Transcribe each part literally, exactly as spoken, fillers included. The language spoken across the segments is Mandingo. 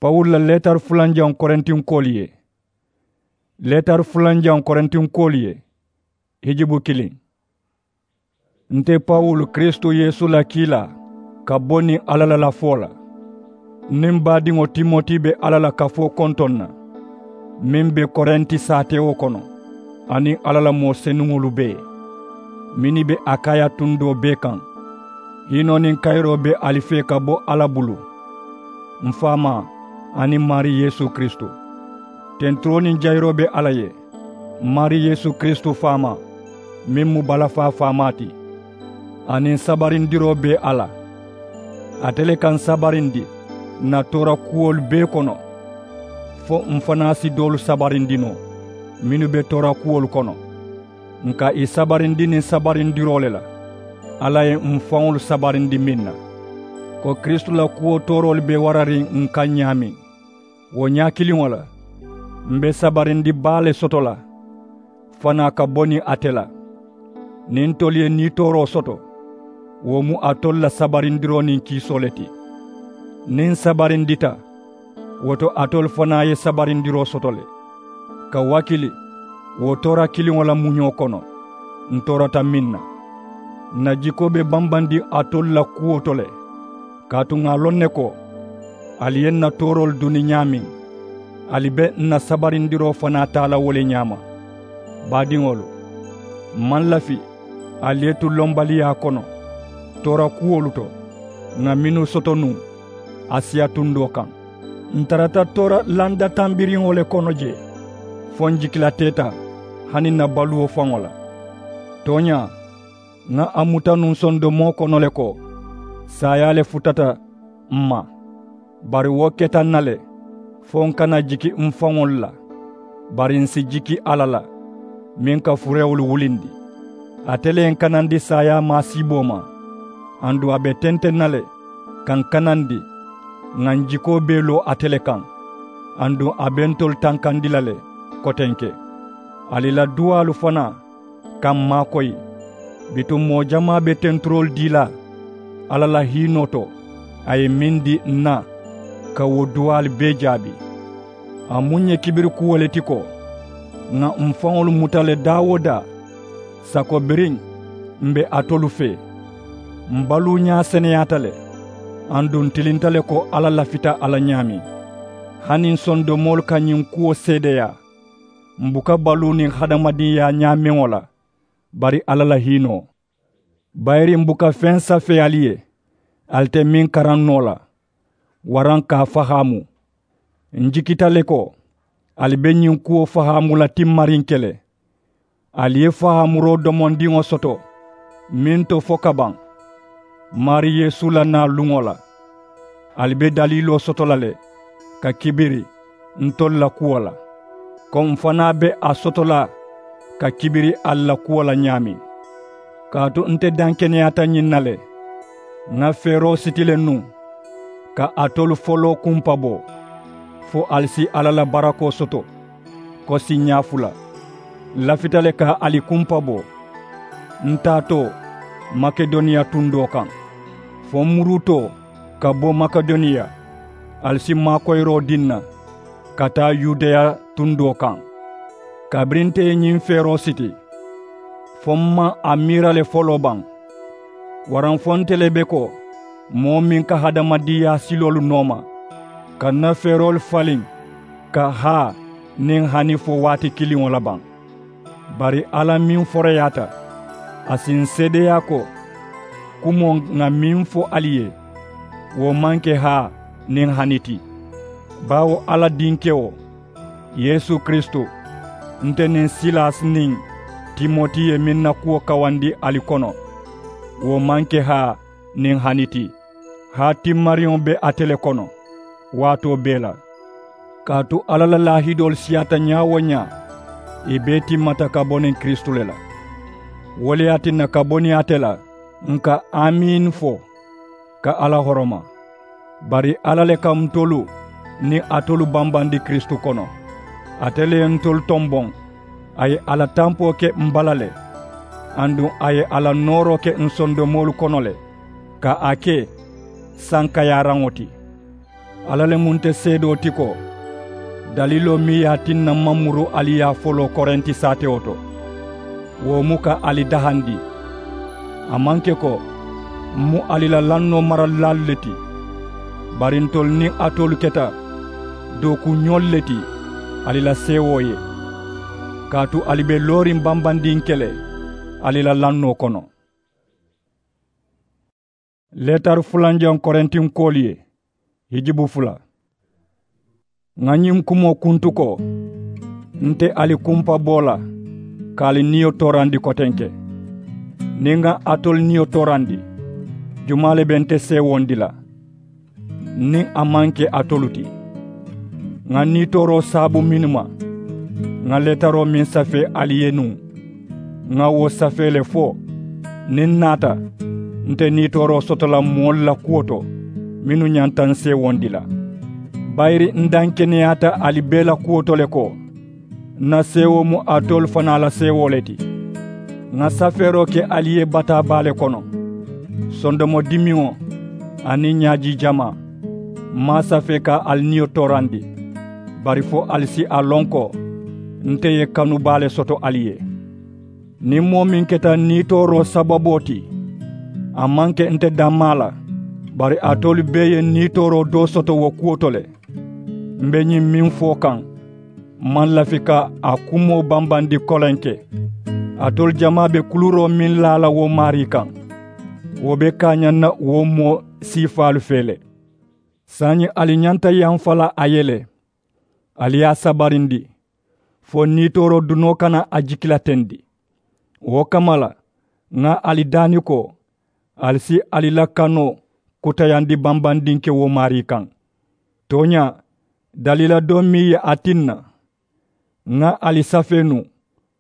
Pawulu la leetari fulanjaŋo korintinkoolu ye. Leetari fulanjaŋo korintinkoolu ye. Hijubu kiliŋ. Nte pawulu, kiristu yeesu la kiilaa, ka bo niŋ alla la lafoo la. Niŋ baadiŋo timoti be alla la kafoo kontoŋ na, meŋ be korinti saatewo kono, aniŋ alla la moo senuŋolu bee mennu be akaya tundoo bee kaŋ. Hiinoo niŋ kayiroo be ali fee ka bo alla bulu, m faamaa, aniŋ maari yeesu kiristu. Tenturoo niŋ jayiroo be alla ye, maari yeesu kiristu faamaa, meŋ mu balafaa faamaa ti, aniŋ sabarindiroo be a la. Ate le ka n sabarindi n na toora kuwolu bee kono, fo m fanaa si doolu sabarindi noo mennu be toora kuwolu kono. N ka ì sabarindi niŋ sabarindiroo le la, alla ye m faŋolu sabarindi meŋ na, ko kiristu la kuwo tooroolu be warariŋ n kaŋ ñaameŋ. Wo ñaa kiliŋo la, m be sabarindi baa le soto la fanaa ka bo niŋ ate la. Niŋ ntolu ye niitooroo soto, wo mu alitolu la sabarindiroo niŋ kiisoo le ti. Niŋ n sabarindita, wo to alitolu fanaa ye sabarindiroo soto le. Ka wakili wo toora kiliŋo la muñoo kono, n toorata meŋ na, n na jikoo be bambandiŋ alitolu la kuwo to le. Kaatu ŋà a loŋ ne ko, ali ye n na tooroolu duni ñaameŋ, ali be n na sabarindiroo fanaa taa la wo le ñaama. Baadiŋolu, m maŋ lafi ali ye tu lombaliyaa kono toora kuwolu to, ŋà mennu soto nuŋ asiya tundoo kaŋ. N tarata toora landa tambiriŋo le kono jee, fo n jikilateeta hani n na baluwo faŋo la. Tooñaa, ŋà a muta nuŋ sondomoo kono le ko, saayaa le futata m ma. Bari wo keta n na le, fo n kana jiki m faŋolu la, bari n si jiki alla la, meŋ ka furewolu wulindi. Ate le ye n kanandi saayaa maasiiboo ma, aduŋ a be tenteŋ na le ka n kanandi, ŋà n jikoo bee loo ate le kaŋ, aduŋ a be ntolu tankandi la le kotenke. Ali la duwaalu fanaa ka m maakoyi. Bituŋ moo jamaa be tenturoolu dii la alla la hiinoo to, a ye meŋ dii n na, ka wo duwaalu bee jaabi. A mu n ye kibiri kuwo le ti ko, ŋà m faŋolu muta le daa-wo-daa, sako biriŋ m be alitolu fee. M baluuñaa seneyaata le, aduŋ n tilinta le ko alla lafita a la ñaameŋ. Hani n sondomoolu ka ñiŋ kuwo seedeyaa, m buka baluu niŋ hadamadiŋyaa ñaameŋo la, bari alla la hiinoo. Bayiri m buka feŋ safee ali ye, ali te meŋ karaŋ noo la, waraŋ ka a fahaamu. N jikita le ko, ali be ñiŋ kuwo fahaamu la timmariŋ ke le. Ali ye fahaamuroo domondiŋo soto meŋ to fo ka baŋ, maari yeesu la naa luŋo la. Ali be daliiloo soto la le ka kibiri ntolu la kuwo la, ko m fanaa be a soto la ka kibiri ali la kuwo la ñaameŋ. Kaatu nte dankeneyaata ñiŋ na le, ŋà feeroo siti le nuŋ ka alitolu foloo kumpaboo, fo ali si alla la barakoo soto ko siiñaa fula. N lafita le ka ali kumpaboo n taatoo makedoniya tundoo kaŋ, fo n muruutoo ka bo makedoniya, ali si maakoyiroo dii n na ka taa yudeya tundoo kaŋ. Kabiriŋ nte ye ñiŋ feeroo siti, fo m maŋ a miira le foloo baŋ. Waraŋ fo nte le be ko moo meŋ ka hadamadiiyaa siloolu nooma, ka n na feeroolu faliŋ ka haa niŋ hani fo waati kiliŋo la baŋ. Bari alla meŋ foroyaata, a si n seedeyaa ko kumoo ŋà meŋ fo ali ye, wo maŋ ke haa niŋ hani ti. Baawo alla dinkewo, yeesu kiristu, nte niŋ silasi niŋ timoti ye meŋ na kuwo kawandi ali kono, wo maŋ ke haa niŋ hani ti. Haa timmariŋo be ate le kono waatoo bee la. Kaatu alla la laahidoolu siyaata ñaa-wo-ñaa, ì bee timmata ka bo niŋ kiristu le la. Wo le ye a tinna ka bo niŋ ate la, n ka amiini fo ka alla horoma. Bari alla le ka ntolu niŋ alitolu bambandi kiristu kono. Ate le ye ntolu tomboŋ, a ye a la tampoo ke m bala le, aduŋ a ye a la nooroo ke n sondomoolu kono le, ka a ke sankayaaraŋo ti. Alla le mu nte seedoo ti ko, daliiloo meŋ ye a tinna m maŋ muru ali yaa foloo korenti saatewo to, wo mu ka ali dahandi. A maŋ ke ko m mu ali la lannoo maralilaalu le ti, bari ntolu niŋ alitolu keta dookuuñoolu le ti ali la seewoo ye, kaatu ali be looriŋ bambandiŋ ke le ali la lannoo kono. Leetari fulanjaŋ korintinkoolu ye, hijibu fula. Ŋà ñiŋ kumoo kuntu ko, nte ali kumpa boo la ka ali niyo toorandi kotenke. Niŋ ŋà alitolu niyo toorandi, jumaa le be nte seewondi la niŋ a maŋ ke alitolu ti? Ŋà niitooroo saabu mennu ma, ŋà leetaroo meŋ safee ali ye nuŋ, ŋà wo safee le fo niŋ n naata nte niitooroo soto la moolu la kuwo to mennu ñanta n seewondi la. Bayiri n dankeneyaata ali bee la kuwo to le ko, n na seewoo mu alitolu fanaa la seewoo le ti. Ŋà safeeroo ke ali ye bataa baa le kono, sondomo dimiŋo aniŋ ñaajii jamaa. M maŋ a safee ka ali niyo toorandi, bari fo ali si a loŋ ko nte ye kanu baa le soto ali ye. Niŋ moo meŋ keta niitooroo sababoo ti, a maŋ ke nte dammaa la, bari alitolu bee ye niitooroo doo soto wo kuwo to le. M be ñiŋ meŋ fo kaŋ, m maŋ lafi ka a kumoo bambandi kolenke. Alitolu jamaa be kuluuroo meŋ laa la wo maarii kaŋ, wo be kaañaŋ na wo moo siifaalu fee le. Saayiŋ ali ñanta yamfa la a ye le, ali ye a sabarindi fo niitooroo dunoo kana a jikilatendi. Wo kamma la, ŋà ali daani ko ali si ali la kanoo kutayandi bambandinke wo maarii kaŋ. Tooñaa, daliila doo meŋ ye a tinna ŋà ali safee nuŋ,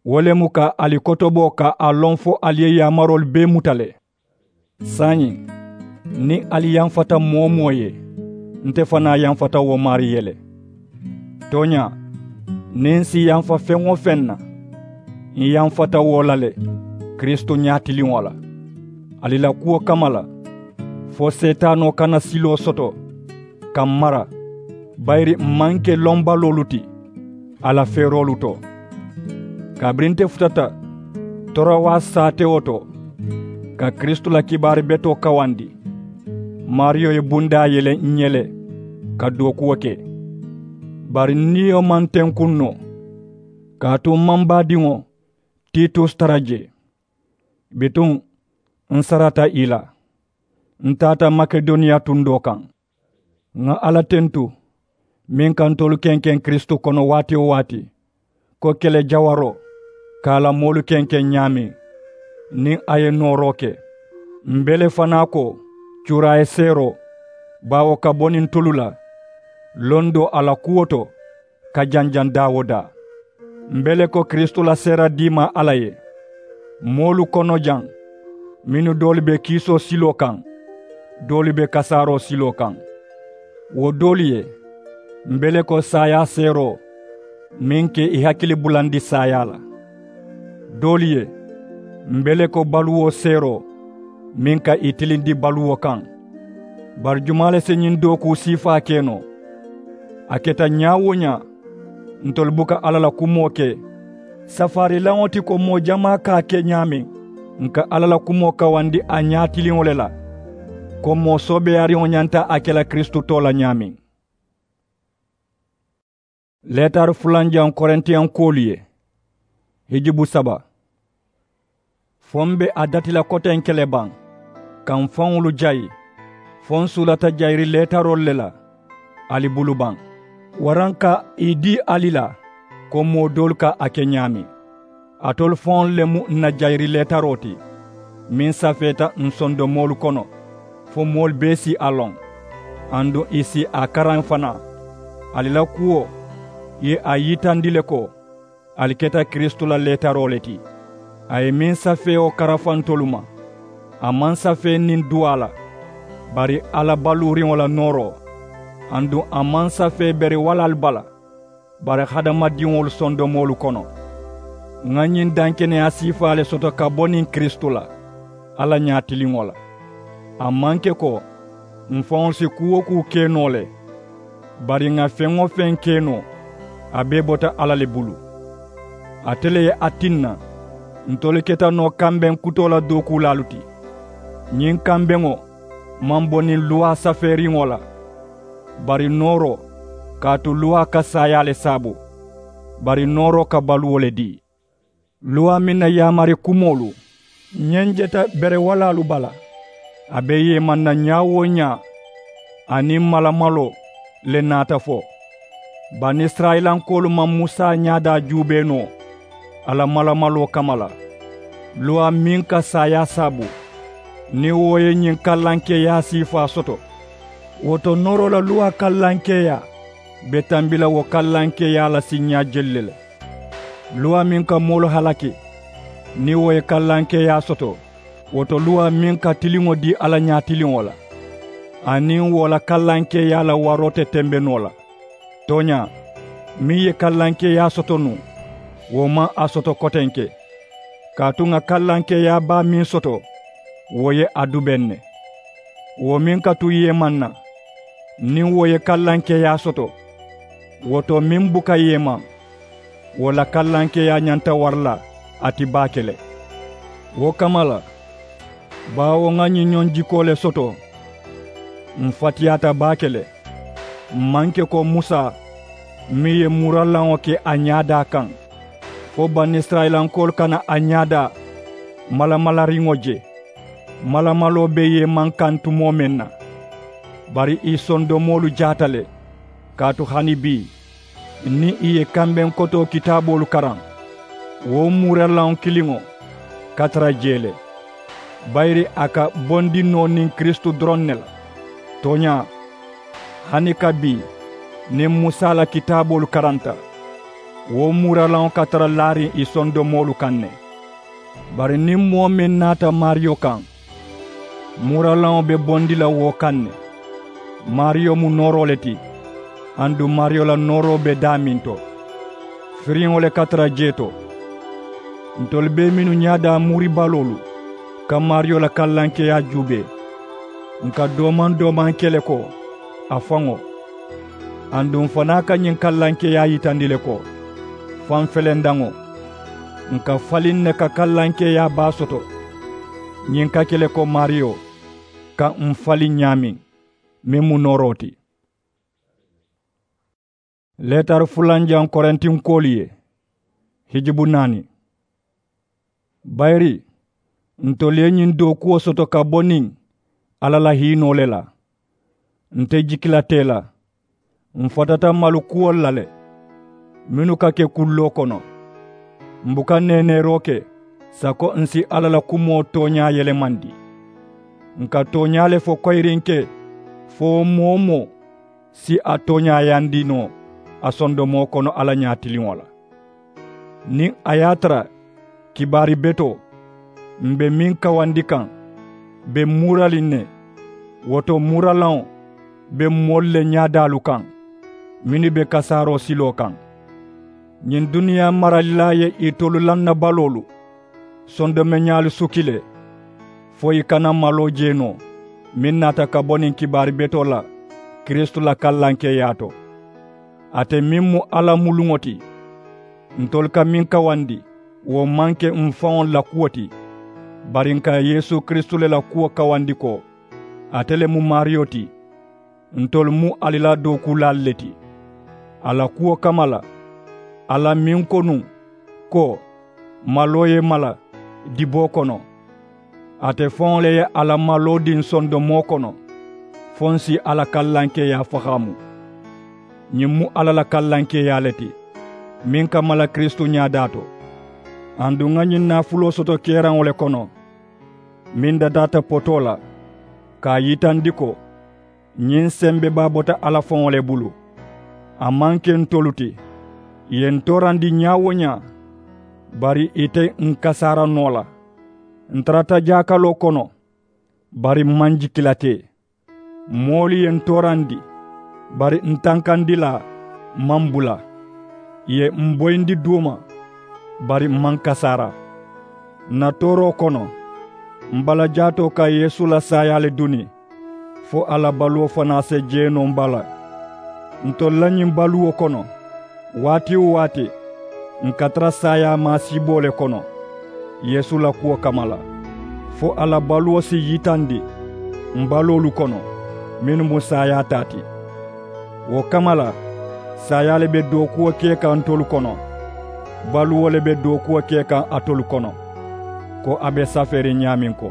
wo le mu ka ali kotobo ka a loŋ fo ali ye yaamaroolu bee muta le. Saayiŋ, niŋ ali yamfata moo-wo-moo ye, nte fanaa yamfata wo maarii ye le. Tooñaa, niŋ n si yamfa feŋ-wo-feŋ na, n yamfata wo la le, kiristu ñaatiliŋo la, ali la kuwo kamma la, fo seetaanoo kana siloo soto ka m mara. Bayiri m maŋ ke lombaloolu ti a la feeroolu to. Kabiriŋ nte futata torowasi saatewo to ka kiristu la kibaari betoo kawandi, maariyo ye bundaa yele n ye le ka dookuwo ke. Bari n niyo maŋ tenkuŋ noo, kaatu m maŋ baadiŋo titus tara jee. Bituŋ, n sarata i la, n taata makedoniya tundoo kaŋ. Ŋà alla tentu, meŋ ka ntolu kenkeŋ kiristu kono waati-wo-waati, ko kele jawaroo ka a la moolu kenkeŋ ñaameŋ, niŋ a ye nooroo ke. M be le fanaa ko cuuraayi seeroo, baawo ka bo niŋ tulu la londoo a la kuwo to ka janjaŋ daa-wo-daa. M be le ko kiristu la seera diimaa alla ye, moolu kono jaŋ, mennu doolu be kiisoo siloo kaŋ, doolu be kasaaroo siloo kaŋ. Wo doolu ye, m be le ko saayaa seeroo, meŋ ka i hakili bulandi saayaa la. Doolu ye, m be le ko baluwo seeroo, meŋ ka i tilindi baluwo kaŋ. Bari jumaa le si ñiŋ dookuu siifaa ke noo? A keta ñaa-wo-ñaa, ntolu buka alla la kumoo ke. Safaarilaŋo ti ko moo jamaa ka a ke ñaameŋ, n ka alla la kumoo kawandi a ñaatiliŋo le la, ko moo soobeeyaariŋo ñanta a ke la kiristu too la ñaameŋ. Leetari fulanjaŋ korintiyankoolu ye, hijubu saba. Fo m be a dati la kotenke le baŋ ka m faŋolu jayi, fo n suulata jayiri leetaroolu le la ali bulu baŋ, waraŋ ka ì dii ali la ko moo doolu ka a ke ñaameŋ. Alitolu faŋolu le mu n na jayiri leetaroo ti, meŋ safeeta n sondomoolu kono, fo moolu bee si a loŋ, aduŋ ì si a karaŋ fanaa. Ali la kuwo ye a yitandi le ko ali keta kiristu la leetaroo le ti. A ye meŋ safeewo karafa ntolu ma, a maŋ safee niŋ duwaa la, bari alla baluuriŋo la nooroo. Aduŋ a maŋ safee beriwalaalu bala, bari hadamadiŋolu sondomoolu kono. Ŋà ñiŋ dankeneyaa siifaa le soto ka bo niŋ kiristu la, alla ñaatiliŋo la. A maŋ ke ko m faŋolu si kuu-wo-kuu ke noo le, Bari ŋà feŋ-wo-feŋ ke noo, a bee bota alla le bulu. Ate le ye a tinna ntolu keta noo kambeŋ kutoo la dookuulaalu ti. Ñiŋ kambeŋo maŋ bo niŋ luwaa safeeriŋo la, bari nooroo, kaatu luwaa ka saayaa le saabu, bari nooroo ka baluwo le dii. Luwaa meŋ na yaamari kumoolu ñenjeta berewalaalu bala, a be yeemanna ñaa-wo-ñaa, a niŋ malamaloo le naata fo. Banisirayilankoolu maŋ musa ñaadaa juubee noo a la malamaloo kamma la, luwaa meŋ ka saayaa saabu, niŋ wo ye ñiŋ kallankeeyaa siifaa soto. Wo to nooroo la luwaa kallankeeyaa be tambi la wo kallankeeyaa la siiñaa jelu le la. Luwaa meŋ ka moolu halaki, niŋ wo ye kallankeeyaa soto, wo to luwaa meŋ ka tiliŋo dii alla ñaatiliŋo la, aniŋ wo la kallankeeyaa la waroo te tembe noo la. Tooñaa, meŋ ye kallankeeyaa soto nuŋ, wo maŋ a soto kotenke. Kaatu ŋà kallankeeyaa baa meŋ soto, wo ye a dubeŋ ne. Wo meŋ ka tu yeemaŋ na, niŋ wo ye kallankeeyaa soto, wo to meŋ buka yeemaŋ, wo la kallankeeyaa ñanta wara la a ti baake le. Wo kamma la, baawo ŋà ñiŋ ñoŋ jikoo le soto, m̀ fatiyaata baake le. M̀ maŋ ke ko musa, meŋ ye muuralaŋo ke a ñaadaa kaŋ, fo banisirayilankoolu kana a ñaadaa malamalariŋo je. Malamaloo be yeemaŋ kaŋ tumoo meŋ na, bari ì sondomoolu jaata le. Kaatu hani bii, niŋ ì ye kambeŋ kotoo kitaaboolu karaŋ, wo muuralaŋo kiliŋo ka tara jee le, bayiri a ka bondi noo niŋ kiristu doroŋ ne la. Tooñaa, hani ka bii, niŋ musa la kitaaboolu karanta, wo muuralaŋo ka tara laariŋ ì sondomoolu kaŋ ne. Bari niŋ moo meŋ naata maariyo kaŋ, muuralaŋo be bondi la wo kaŋ ne. Maariyo mu nooroo le ti, aduŋ maariyo la nooroo be daameŋ to, firiŋo le ka tara jee to. Ntolu bee mennu ñaadaa muuribaloolu ka maariyo la kallankeeyaa juubee, ǹ ka doomaŋ doomaŋ ke le ko a faŋo. Aduŋ fanaa ka ñiŋ kallankeeyaa yitandi le ko, fanfelendaŋo, ǹ ka faliŋ ne ka kallankeeyaa baa soto. Ñiŋ ka ke le ko maariyo ka ǹ faliŋ ñaameŋ, meŋ mu nooroo ti. Leetari fulanjaŋ korintinkoolu ye, hijubu naani. Bayiri ntolu ye ñiŋ dookuwo soto ka bo niŋ alla la hiinoo le la. Nte jikila tee la, m̀ fatata malu kuwolu la le, mennu ka ke kulloo kono. M̀ buka neeneeroo ke sako ǹ si alla la kumoo tooñaa yelemandi. Ǹ ka tooñaa le fo koyiriŋ ke, fo moo-wo-moo si a tooñaayandi noo a sondomoo kono alla ñaatiliŋo la. Niŋ a ye a tara kibaari betoo m̀ be meŋ kawandi kaŋ be muuraliŋ ne, wo to muuralaŋo be moolu le ñaadaalu kaŋ, mennu be kasaaroo siloo kaŋ. Ñiŋ duniyaa maralilaa ye itolu lannabaloolu sondomeñaalu suki le, fo i kana maloo jee noo meŋ naata ka bo niŋ kibaari betoo la kiristu la kallankeeyaa to. Ate meŋ mu alla muluŋo ti, ntolu ka meŋ kawandi, wo maŋ ke m̀ faŋolu la kuwo ti, bari ǹ ka yeesu kiristu le la kuwo kawandi ko, ate le mu maariyo ti. Ntolu mu ali la dookuulaalu le ti a la kuwo kamma la. Alla meŋ ko nuŋ ko, maloo ye mala diboo kono, ate faŋo le ye a la maloo diŋ sondomoo kono, fo ǹ si a la kallankeeyaa fahaamu. Ñiŋ mu alla la kallankeeyaa le ti, meŋ ka mala kiristu ñaadaa to. Aduŋ ŋa ñiŋ naafuloo soto keeraŋo le kono, meŋ dataata potoo la, ka a yitandi ko ñiŋ sembebaa bota alla faŋo le bulu. A maŋ ke ntolu ti, ì ye ǹ toorandi ñaa-wo-ñaa, bari ì te ǹ kasaara noo la. Ǹ tarata jaakaloo kono, bari m̀ maŋ jikila tee. Moolu ye ǹ toorandi, bari ǹ tankandilaa maŋ bula. Ì ye m̀ boyindi duuma, bari m̀ maŋ kasaara. Ǹ na tooroo kono, m̀ balajaatoo ka yeesu la saayaa le duni, fo a la baluwo fanaa se jee noo m̀ bala. Ntolu la ñiŋ baluwo kono, waati-wo-waati ǹ ka tara saayaa maasiiboo le kono yeesu la kuwo kamma la, fo a la baluwo si yitandi m̀ baloolu kono mennu mu saayaa taa ti. Wo kamma la, saayaa le be dookuwo ke kaŋ ntolu kono, baluwo le be dookuwo ke kaŋ alitolu kono, ko a be safeeriŋ ñaameŋ ko,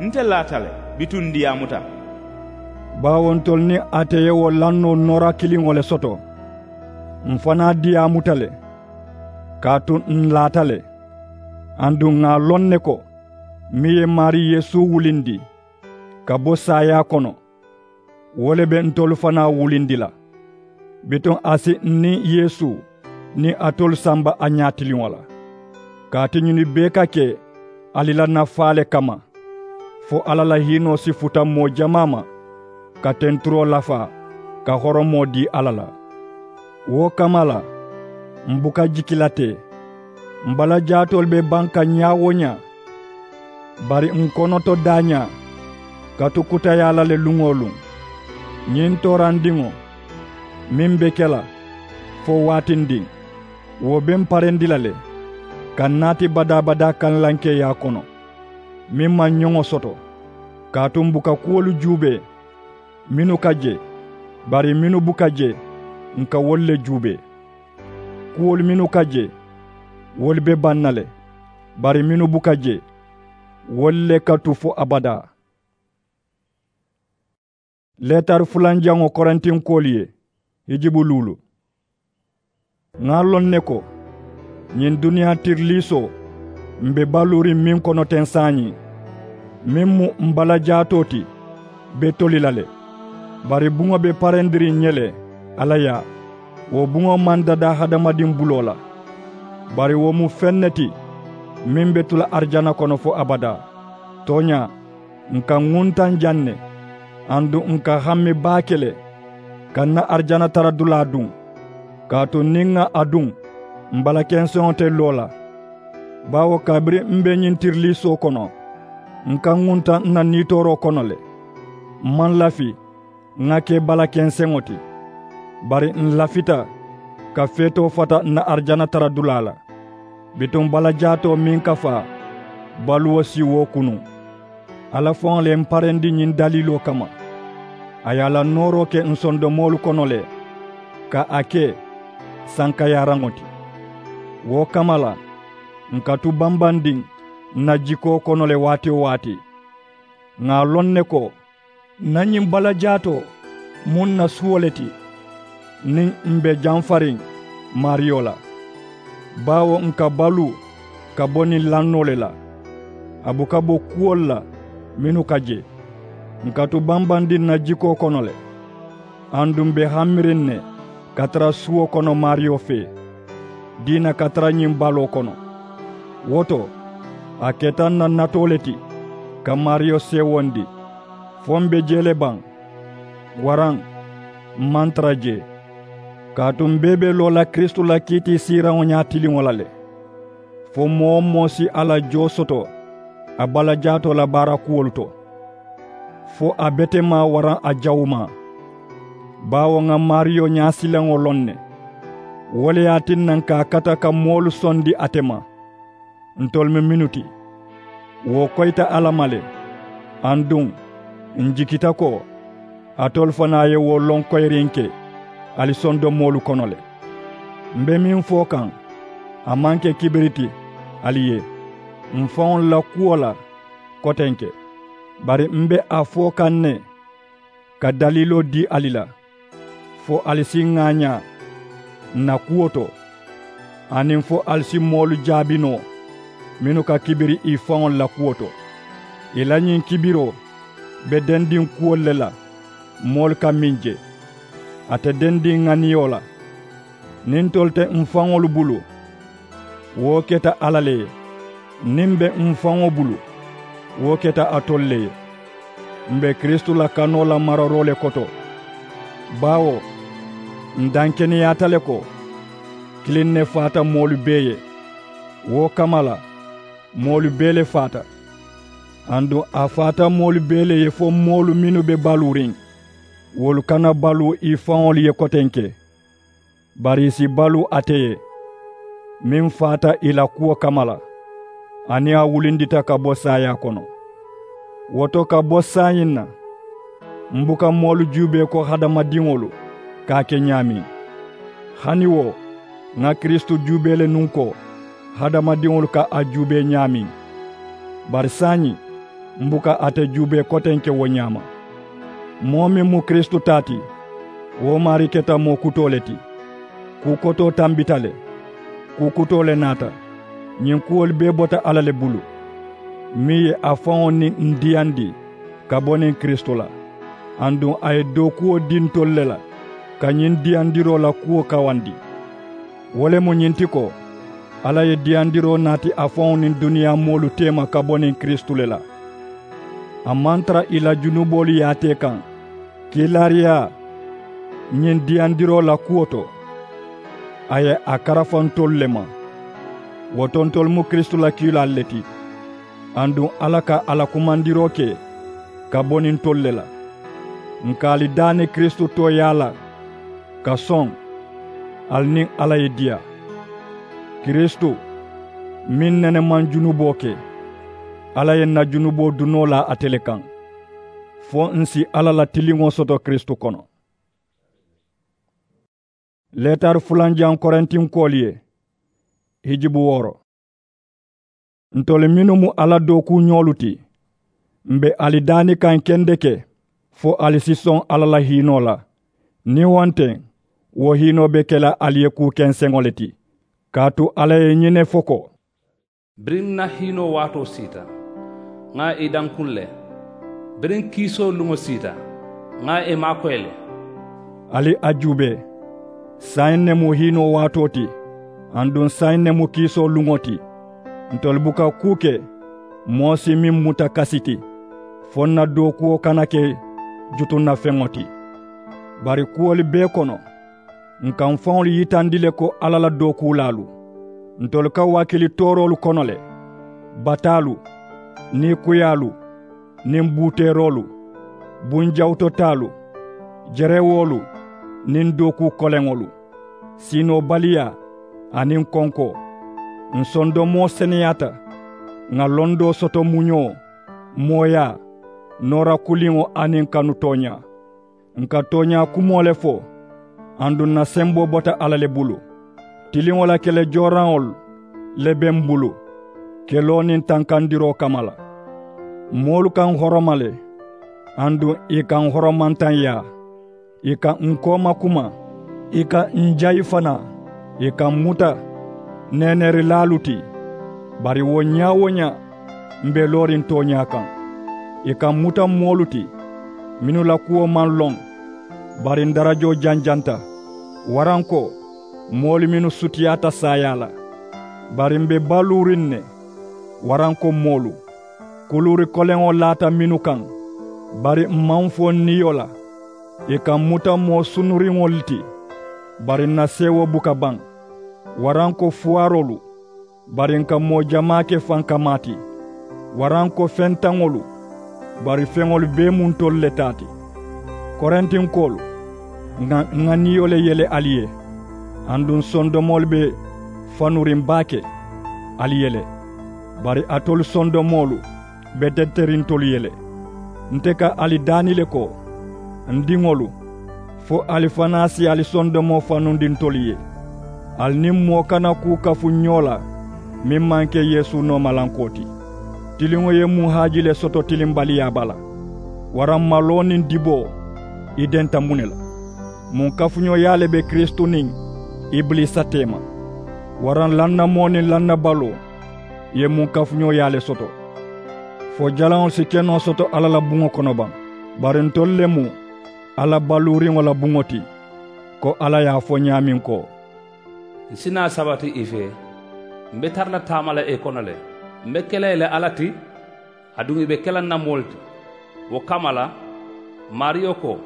nte laata le, bituŋ ǹ diyaamuta. Baawo ntolu niŋ ate ye wo lannoo noora kiliŋo le soto. M̀ fanaa diyaamuta le, kaatu ǹ laata le. Aduŋ ŋà a loŋ ne ko, meŋ ye maarii yeesu wulindi ka bo saayaa kono, wo le be ntolu fanaa wulindi la. Bituŋ a si ǹ niŋ yeesu niŋ alitolu samba a ñaatiliŋo la. Kaatu ñinnu bee ka ke ali la nafaa le kamma, fo alla la hiinoo si futa moo jamaa ma, ka tenturoo lafaa ka horomoo dii alla la. Wo kamma la, m̀ buka jiki la teŋ. M̀ bala jaatoolu be baŋ ka ñaa-wo-ñaa. Bari ǹ konoto daañaa ka tu kutayaa la le luŋ-wo-luŋ. Ñiŋ toorandiŋo meŋ be ke la fo waatindiŋ, wo be m̀ parendi la le ka ǹ naati badaa-badaa kaŋ lankeeyaa kono, meŋ maŋ ñoŋo soto. Kaatu m̀ buka kuwolu juubee mennu ka je, bari mennu buka je, ǹ ka wolu le juubee. Kuwolu mennu ka je, wolu be baŋ na le, bari mennu buka je, wolu le ka tu fo abadaa. Leetari fulanjaŋo korintinkoolu ye, hijibu luulu. Ŋà a loŋ ne ko, ñiŋ duniyaa tiriliisoo m̀ be baluuriŋ meŋ kono teŋ saayiŋ, meŋ mu m̀ bala jaatoo ti, be toli la le. Bari buŋo be parendiriŋ ǹ ye le, alla yaa. Wo buŋo maŋ dadaa hadamadiŋ buloo la, bari wo mu feŋ ne ti meŋ be tu la arijana kono fo abadaa. Tooñaa, ǹ ka ŋuntaŋ jaŋ ne, aduŋ ǹ ka hammi baake le ka ǹ na arijana tara dulaa duŋ. Kaatu niŋ ŋà a duŋ, m̀ bala kenseŋo te loo la. Baawo kabiriŋ m̀ be ñiŋ tiriliisoo kono, ǹ ka ŋuntaŋ ǹ na niitooroo kono le. M̀ maŋ lafi ŋà ke bala kenseŋo ti, bari ǹ lafita ka feetoo fata ǹ na arijana tara dulaa la. Bituŋ bala jaatoo meŋ ka faa, baluwo si wo kunuŋ. Alla faŋo le ye m̀ parendi ñiŋ daliiloo kamma. A ye a la nooroo ke ǹ sondomoolu kono le, ka a ke sankayaaraŋo ti. Wo kamma la, ǹ ka tu bambandiŋ ǹ na jikoo kono le waati-wo-waati. Ŋà a loŋ ne ko, ǹ na ñiŋ bala jaatoo mu ǹ na suwo le ti, niŋ m̀ be jamfariŋ maariyo la. Baawo ǹ ka baluu ka bo niŋ lannoo le la, a buka bo kuwolu la mennu ka je. Ǹ ka tu bambandiŋ ǹ na jikoo kono le, aduŋ m̀ be hamiriŋ ne ka tara suwo kono maariyo fee, diina ka tara ñiŋ baloo kono. Wo to, a keta ǹ na natoo le ti ka maariyo seewondi, fo m̀ be jee le baŋ, waraŋ m̀ maŋ tara jee. Kaatu m̀ bee be loo la kiristu la kiitiisiiraŋo ñaatiliŋo la le, fo moo-wo-moo si a la joo soto a bala jaatoo la baara kuwolu to, fo a betemaa waraŋ a jawumaa. Baawo ŋà maariyo ñaasilaŋo loŋ ne, wo le ye a tinna ǹ ka a kata ka moolu sondi ate ma. Ntolu mu mennu ti, wo koyita alla ma le. Aduŋ, ǹ jikita ko alitolu fanaa ye wo loŋ koyirinke ali sondomoolu kono le. M̀ be meŋ fo kaŋ, a maŋ ke kibiri ti ali ye m̀ faŋolu la kuwo la kotenke, bari m̀ be a fo kaŋ ne ka daliiloo dii ali la, fo ali si ŋaañaa ǹ na kuwo to, aniŋ fo ali si moolu jaabi noo mennu ka kibiri ì faŋolu la kuwo to. Ì la ñiŋ kibiroo be dendiŋ kuwolu le la moolu ka meŋ je, a te dendiŋ ŋaniyo la. Niŋ ntolu te m̀ faŋolu bulu, wo keta alla le ye. Niŋ m̀ be m̀ faŋo bulu, wo keta alitolu le ye. M̀ be kiristu la kanoo la mararoo le koto. Baawo, ǹ dankeneyaata le ko kiliŋ ne faata moolu bee ye. Wo kamma la, moolu bee le faata. Aduŋ a faata moolu bee le ye fo moolu mennu be baluuriŋ. Wolu kana baluu ì faŋolu ye kotenke, bari ì si baluu ate ye, meŋ faata ì la kuwo kamma la, aniŋ a wulindita ka bo saayaa kono. Wo to ka bo saayiŋ na, m buka moolu juubee ko hadamadiŋolu ka a ke ñaameŋ. Hani wo, ŋa kiristu juubee le nuŋ ko hadamadiŋolu ka a juubee ñaameŋ. Bari saayiŋ, m buka ate juubee kotenke wo ñaama. Moo meŋ mu kiristu taa ti, wo maarii keta moo kutoo le ti. Kuu kotoo tambita le, kuu kutoo le naata. Ñiŋ kuwolu bee bota alla le bulu, meŋ ye a faŋo niŋ n diyandi ka bo niŋ kiristu la, aduŋ a ye dookuwo dii ntolu le la ka ñiŋ diyandiroo la kuwo kawandi. Wo le mu ñiŋ ti ko, alla ye diyandiroo naati a faŋo niŋ duniyaa moolu teema ka bo niŋ kiristu le la. A maŋ tara ì la junuboolu yaatee kaŋ, kiilaariyaa ñiŋ diyandiroo la kuwo to, a ye a karafa ntolu le ma. Wo to ntolu mu kiristu la kiilaalu le ti, aduŋ alla ka a la kumandiroo ke ka bo niŋ ntolu le la. N ka ali daani kiristu tooyaa la ka soŋ, ali niŋ alla ye diyaa. Kiristu meŋ nene maŋ junuboo ke, alla ye n na junuboo dunoo laa ate le kaŋ, fo n si alla la tiliŋo soto kiristu kono. Leetari fulanjaŋ korintinkoolu ye, hijibu wooro. Ntolu mennu mu alla dookuuñoolu ti, m be ali daani kaŋ kendeke fo ali si soŋ alla la hiinoo la. Niŋ wo nte, wo hiinoo be ke la ali ye kuu kenseŋo le ti. Kaatu alla ye ñiŋ ne fo ko, biriŋ n na hiinoo waatoo siita, ŋà ì dankuŋ le. Biriŋ kiisoo luŋo siita, ŋà ì maakoyi le. Ali a juubee, saayiŋ ne mu hiinoo waatoo ti, aduŋ saayiŋ ne mu kiisoo luŋo ti. Ntolu buka kuu ke moo si meŋ muta kasi ti, fo n na dookuwo kana ke jutunnafeŋo ti. Bari kuwolu bee kono, n ka n faŋolu yitandi le ko alla la dookuulaalu. Ntolu ka wakili tooroolu kono le, bataalu, niikuyaalu, niŋ buuteeroolu, bunjawutotaalu, jerewoolu, niŋ dookuu koleŋolu, siinoobaliyaa aniŋ konkoo. N sondomoo seneyaata, ŋà londoo soto muñoo, mooyaa, noora kuliŋo aniŋ kanu tooñaa. N ka tooñaa kumoo le fo, aduŋ n na semboo bota alla le bulu. Tiliŋo la kele jooraŋolu le be m bulu, keloo niŋ tankandiroo kamma la. Moolu ka n horoma le, aduŋ ì ka n horomantanyaa. Ì ka n kooma kuma, ì ka n jayi fanaa. Ì ka m muta neeneerilaalu ti. Bari wo ñaa-wo-ñaa, m be looriŋ tooñaa kaŋ. Ì ka m muta moolu ti mennu la kuwo maŋ loŋ, bari n darajoo janjanta, waraŋ ko moolu mennu sutiyaata saayaa la. Bari m be baluuriŋ ne, waraŋ ko moolu. Kuluuri koleŋo laata mennu kaŋ, bari m maŋ fo n niyo la. Ì ka m muta moo sunuriŋolu ti, bari n na seewoo buka baŋ. Waraŋ ko fuwaaroolu, bari n ka moo jamaa ke fankamaa ti. Waraŋ ko fentaŋolu, bari feŋolu bee mu ntolu le taa ti. Korintinkoolu, ŋà n ŋà niyo le yele ali ye. Aduŋ sondomoolu be fanuriŋ baake ali ye le. Bari alitolu sondomoolu be teteriŋ ntolu ye le. Nte ka ali daani le ko, n diŋolu, fo ali fanaa si ali sondomoo fanundi ntolu ye. Ali niŋ moo kana kuu kafu ñoo la meŋ maŋ ke yeesu noomalankoo ti. Tiliŋo ye muŋ haaji le soto tilimbaliyaa bala? Waraŋ maloo niŋ diboo, i denta muŋ ne la? Muŋ kafuñooyaa le be kiristu niŋ ibiliisa teema? Waraŋ lannamoo niŋ lannabaloo ye muŋ kafuñooyaa le soto? Fo jalaŋolu si ke noo soto alla la buŋo kono baŋ? Bari ntolu le mu alla baluuriŋo la buŋo ti, ko alla ye a fo ñaameŋ ko, n si naa sabati i fee, m be tara la taama la i kono le. M be ke la i la alla ti, aduŋ i be ke la n na moolu ti. Wo kamma la, maariyo ko,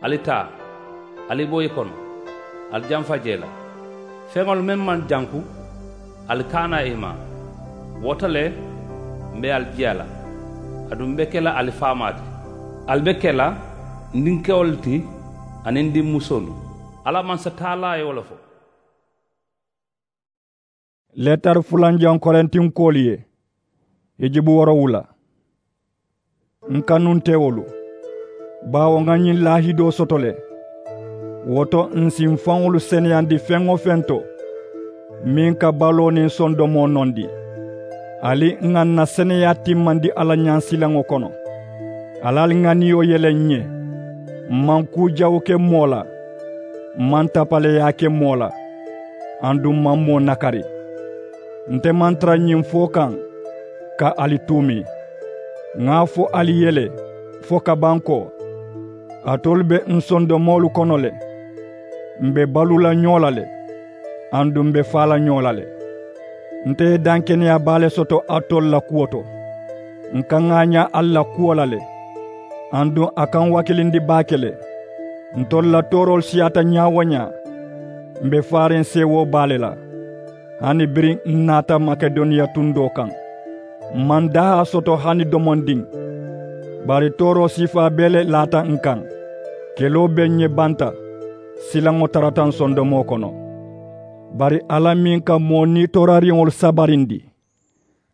ali taa, ali bo i kono, ali jamfa jee la. Feŋolu meŋ maŋ janku, ali kaana i ma. Wo to le, m be ali jiya la, aduŋ m be ke la ali faamaa ti. Ali be ke la N dinkewolu ti aniŋ n dimmusoolu. Alla mansa taalaa ye wo le fo. Leetari fulanjaŋo korintinkoolu ye. Hijibu woorowula. N kanuntewolu, baawo ŋa ñiŋ laahidoo soto le. Wo to n si n faŋolu seneyandi feŋ-wo-feŋ to, meŋ ka baloo niŋ sondomoo nondi. Ali ŋà n na seneyaa timmandi alla ñaŋ silaŋo kono. Ali ali ŋaniyo yele n ye. M maŋ kuu jawu ke moo la. M maŋ tapaleyaa ke moo la. Aduŋ m maŋ moo nakari. Nte maŋ tara ñiŋ fo kaŋ ka ali tuumi. Ŋà a fo ali ye le fo ka baŋ ko, alitolu be n sondomoolu kono le. M be baluu la ñoo la le. Aduŋ m be faa la ñoo la le. Nte ye dankeneyaa baa le soto alitolu la kuwo to. N ka ŋaañaa ali la kuwo la le. Aduŋ a ka n wakilindi baake le. Ntolu la tooroolu siyaata ñaa-wo-ñaa. M be faariŋ seewoo baa le la. Hani biriŋ n naata makedoniya tundoo kaŋ, m maŋ dahaa soto hani domondiŋ. Bari tooroo siifaa bee le laata n kaŋ. Keloo be n ye banta. Silaŋo tarata n sondomoo kono. Bari alla meŋ ka moo nitoorariŋolu sabarindi,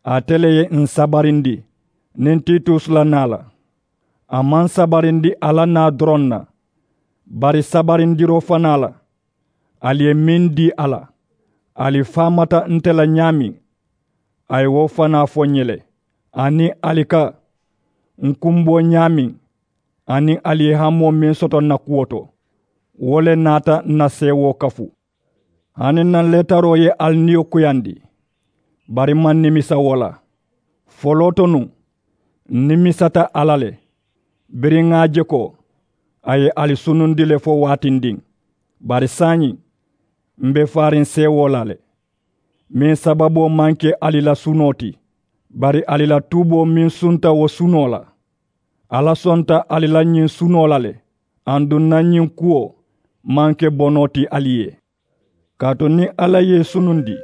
ate le ye ǹ sabarindi niŋ titus la naa la. A maŋ sabarindi a la naa doroŋ na, bari sabarindiroo fanaa la. Ali ye meŋ dii a la, ali faamata nte la ñaameŋ, a ye wo fanaa fo ǹ ye le. Aniŋ ali ka ǹ kumboo ñaameŋ, aniŋ ali ye hamoo meŋ soto ǹ na kuwo to, wo le naata ǹ na seewoo kafu. Hani ǹ na leetaroo ye ali niyo kuyandi, bari m maŋ nimisa wo la. Foloo to nuŋ, ǹ nimisata a la le. Biriŋ ŋà a je ko a ye ali sunundi le fo waatindiŋ. Bari saayiŋ, m be faariŋ seewoo la le. Meŋ sababoo maŋ ke ali la sunoo ti, bari ali la tuuboo meŋ sunta wo sunoo la. Alla sonta ali la ñiŋ sunoo la le. Aduŋ ǹ na ñiŋ kuwo maŋ ke bonoo ti ali ye. Kaatu niŋ alla ye ì sunundi,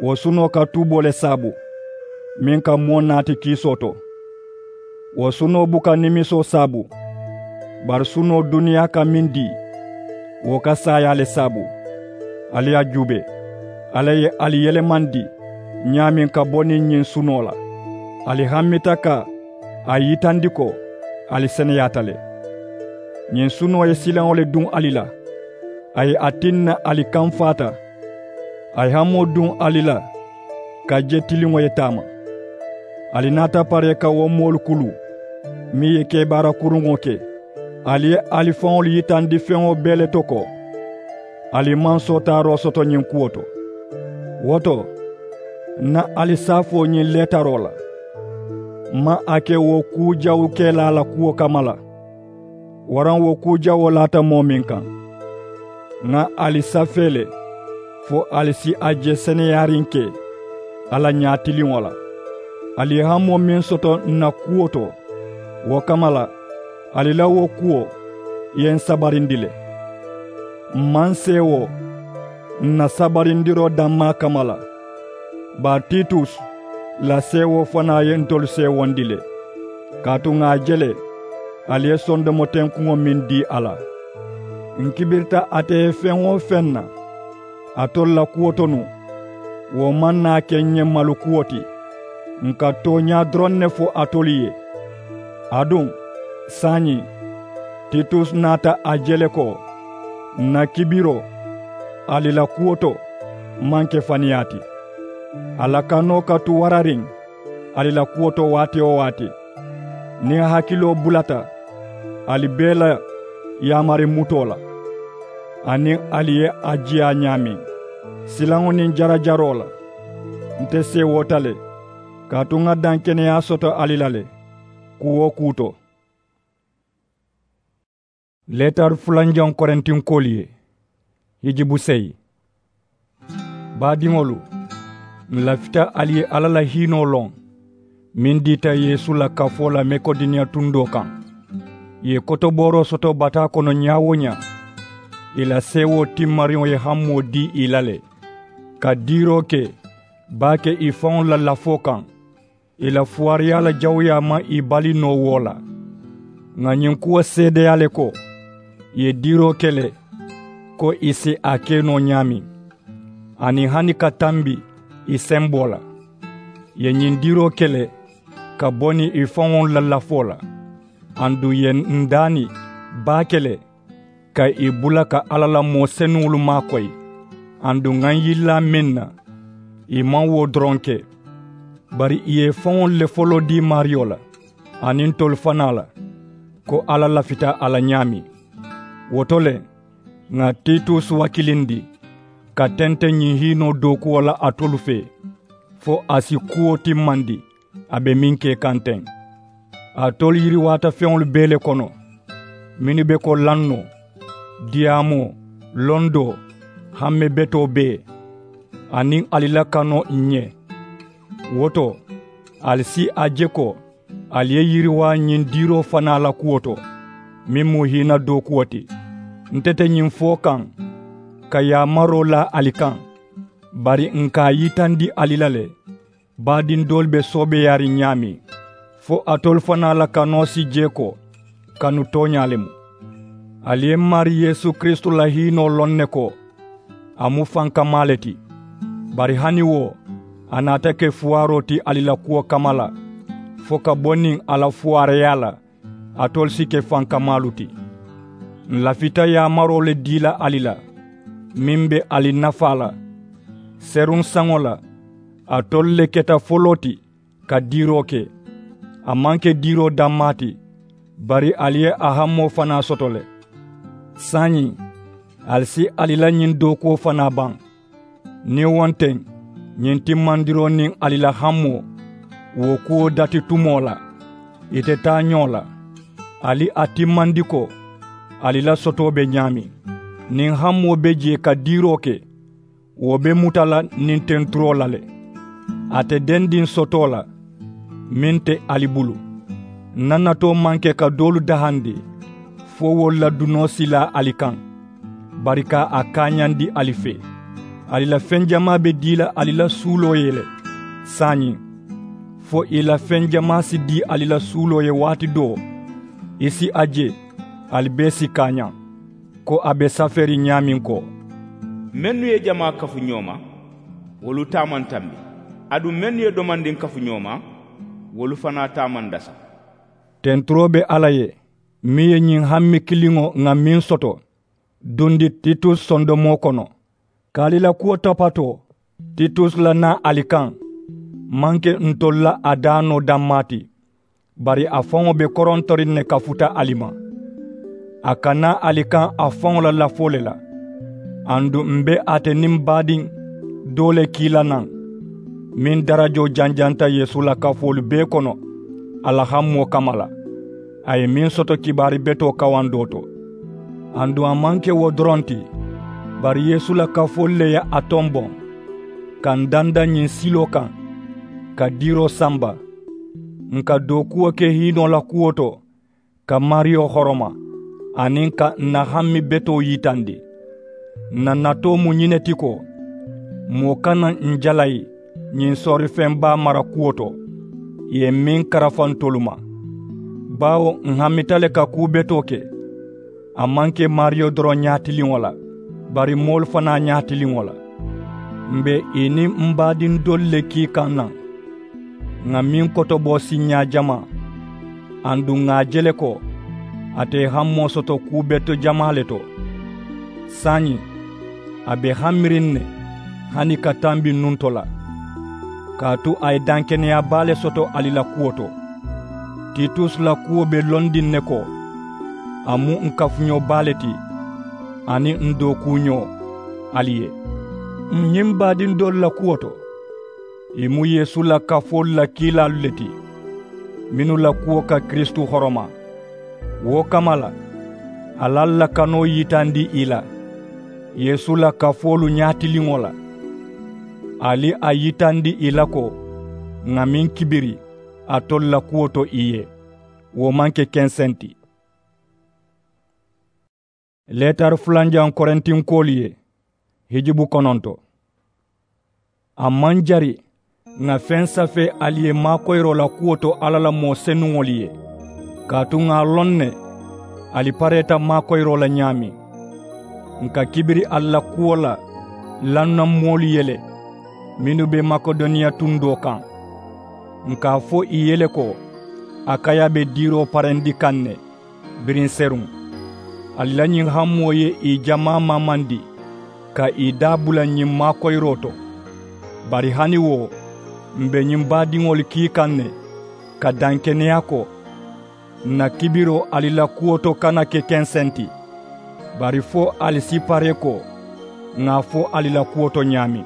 wo sunoo ka tuuboo le saabu, meŋ ka moo naati kiisoo to. Wo sunoo buka nimisoo saabu, bari sunoo duniyaa ka meŋ dii, wo ka saayaa le saabu. Ali ye a juubee, alla ye ali yelemandi ñaameŋ ka bo niŋ ñiŋ sunoo la. Ali hammita ka a yitandi ko ali seneyaata le. Ñiŋ sunoo ye silaŋo le duŋ ali la. A ye a tinna ali kamfaata. A ye hamoo duŋ ali la ka je tiliŋo ye taama. Ali naata paree ka wo moolu kulu meŋ ye kebaara kuruŋo ke. Ali ye ali faŋolu yitandi feŋo bee le to ko ali maŋ sootaaroo soto ñiŋ kuwo to. Wo to, ǹ na ali saafoo ñiŋ leetaroo la, m maŋ a ke wo kuu jawu kelaa la kuwo kamma la, waraŋ wo kuu jawoo laata moo meŋ kaŋ. Ŋà ali safee le fo ali si a je seneyaariŋ ke alla ñaatiliŋo la. Ali ye hamoo meŋ soto ǹ na kuwo to, wo kamma la ali la wo kuwo ye ǹ sabarindi le. M maŋ seewoo ǹ na sabarindiroo dammaa kamma la, bari titus la seewoo fanaa ye ntolu seewondi le. Kaatu ŋà a je le ali ye sondomotenkuŋo meŋ dii a la. Ǹ kibirita ate ye feŋ-wo-feŋ na alitolu la kuwo to nuŋ, wo maŋ naa ke ǹ ye malukuwo ti. Ǹ ka tooñaa doroŋ ne fo alitolu ye. Aduŋ saayiŋ, titus naata a je le ko ǹ na kibiroo ali la kuwo to maŋ ke faniyaa ti. A la kanoo ka tu warariŋ ali la kuwo to waati-wo-waati. Niŋ hakiloo bulata ali bee la yaamari mutoo la, aniŋ ali ye a jiyaa ñaameŋ silaŋo niŋ jarajaroo la, nte seewoota le, kaatu ŋà dankeneyaa soto ali la le kuu-wo-kuu to. Leetari fulanjaŋo korintinkoolu ye. Hijibu seyi. Baadiŋolu, ǹ lafita ali ye alla la hiinoo loŋ meŋ diita yeesu la kafoo la makedoniya tundoo kaŋ. Ì ye kotobooroo soto bataa kono ñaa-wo-ñaa, ì la seewoo timmariŋo ye hamoo dii ì la le, ka diiroo ke baake ì faŋolu la lafoo kaŋ. Ì la fuwaariyaa la jawuyaa maŋ ì bali noo wo la. Ŋà ñiŋ kuwo seedeyaa le ko ì ye diiroo ke le ko ì si a ke noo ñaameŋ, aniŋ hani ka tambi ì semboo la. Ì ye ñiŋ diiroo ke le ka bo niŋ ì faŋolu la lafoo la. Aduŋ ì ye n daani baake le ka ì bula ka alla la moo senuŋolu maakoyi. Aduŋ ŋà ǹ yillaa meŋ na, ì maŋ wo doroŋ ke, bari ì ye ì faŋolu le foloo dii maariyo la aniŋ ntolu fanaa la, ko alla lafita a la ñaameŋ. Wo to le, ŋà titus wakilindi ka tente ñiŋ hiinoo dookuwo la alitolu fee, fo a si kuwo timmandi a be meŋ ke kaŋ teŋ. Alitolu yiriwaata feŋolu bee le kono, mennu be ko lannoo, diyaamoo, londoo, hamme betoo bee, aniŋ ali la kanoo ǹ ye. Wo to, ali si a je ko ali ye yiriwaa ñiŋ diiroo fanaa la kuwo to, meŋ mu hiina dookuwo ti. Nte te ñiŋ fo kaŋ ka yaamaroo laa ali kaŋ, bari ǹ ka a yitandi ali la le, baadiŋ doolu be soobeeyaariŋ ñaameŋ, fo alitolu fanaa la kanoo si jee ko kanu tooñaa le mu. Ali ye m maarii yeesu kiristu la hiinoo loŋ ne ko a mu fankamaa le ti. Bari hani wo a naata ke fuwaaroo ti ali la kuwo kamma la, fo ka bo niŋ a la fuwaareeyaa la alitolu si ke fankamaalu ti. Ǹ lafita yaamaroo le dii la ali la meŋ be ali nafaa la. Seruŋ saŋo la, alitolu le keta foloo ti ka diiroo ke. A maŋ ke diiroo dammaa ti, bari ali ye a hamoo fanaa soto le. Saayiŋ, ali si ali la ñiŋ dookuwo fanaa baŋ. Niŋ wo nte, ñiŋ timmandiroo niŋ ali la hamoo, wo kuwo dati tumoo la, ì te taa ñoo la. Ali a timmandi ko ali la sotoo be ñaameŋ. Niŋ hamoo be jee ka diiroo ke, wo be muta la niŋ tenturoo la le. A te dendiŋ sotoo la meŋ te ali bulu. Ǹ na natoo maŋ ke ka doolu dahandi, fo wolu la dunoo si laa ali kaŋ, bari ka a kaañandi ali fee. Ali la feŋ jamaa be dii la ali la suuloo ye le saayiŋ, fo ì la feŋ jamaa si dii ali la suuloo ye waati doo, ì si a je ali bee si kaañaŋ, ko a be safeeriŋ ñaameŋ ko, mennu ye jamaa kafu ñoo ma, wolu taa maŋ tambi. Aduŋ mennu ye domandiŋ kafu ñoo ma, wolu fanaa taa maŋ dasa. Tenturoo be alla ye, meŋ ye ñiŋ hammi kiliŋo ŋà meŋ soto dundi titus sondomoo kono. Ka ali la kuwo tapatoo, titus la naa ali kaŋ maŋ ke ntolu la a daa noo dammaa ti, bari a faŋo be korontoriŋ ne ka futa ali ma. A ka naa ali kaŋ a faŋo la lafoo le la. Aduŋ m be ate niŋ baadiŋ doo le kii la naŋ, meŋ darajoo janjanta yeesu la kafoolu bee kono a la hamoo kamma la. A ye meŋ soto kibaari betoo kawandoo to. Aduŋ a maŋ ke wo doroŋ ti, bari yeesu la kafoolu le ye a tomboŋ ka n danda ñiŋ siloo kaŋ, ka diiroo samba. Ǹ ka dookuwo ke hiinoo la kuwo to, ka maariyo horoma, aniŋ ka ǹ na hammi betoo yitandi. Ǹ na natoo mu ñiŋ ne ti ko, moo kana ǹ jalayi ñiŋ soorifeŋ baa mara kuwo to, ì ye meŋ karafa ntolu ma. Baawo ǹ hamita le ka kuu betoo ke, a maŋ ke maariyo doroŋ ñaatiliŋo la, bari moolu fanaa ñaatiliŋo la. M be ì niŋ m baadiŋ doolu le kii kaŋ naŋ, ŋà meŋ kotoboo siiñaa jamaa. Aduŋ ŋà a je le ko ate ye hamoo soto kuu beto jamaa le to. Saayiŋ, a be hamiriŋ ne hani ka tambi nunto la, kaatu a ye dankeneyaa baa le soto ali la kuwo to. Titus la kuwo be londiŋ ne ko a mu ǹ kafuñoo baa le ti, aniŋ ǹ dookuuñoo ali ye. Ǹ ñiŋ baadiŋ doolu la kuwo to, ì mu yeesu la kafoolu la kiilaalu le ti, mennu la kuwo ka kiristu horoma. Wo kamma la, ali ali la kanoo yitandi ì la yeesu la kafoolu ñaatiliŋo la. Ali a yitandi ì la ko ŋà meŋ kibiri alitolu la kuwo to ì ye, wo maŋ ke kenseŋ ti. Leetari fulanjaŋ korintinkoolu ye, hijubu kononto. A maŋ jari ŋà feŋ safee ali ye maakoyiroo la kuwo to alla la moo senuŋolu ye. Kaatu ŋà a loŋ ne ali pareeta maakoyiroo la ñaameŋ, ǹ ka kibiri ali la kuwo la lannaŋ moolu ye le mennu be makedoniya tundoo kaŋ. Ǹ ka a fo ì ye le ko akaya be diiroo parendi kaŋ ne biriŋ seruŋ. Ali la ñiŋ hamoo ye ì jamaa maamandi ka ì daa bula ñiŋ maakoyiroo to. Bari hani wo m̀ be ñiŋ baadiŋolu kii kaŋ ne ka dankeneyaa ko ǹ na kibiroo ali la kuwo to kana ke kenseŋ ti. Bari fo ali si paree ko ŋà a fo ali la kuwo to ñaameŋ.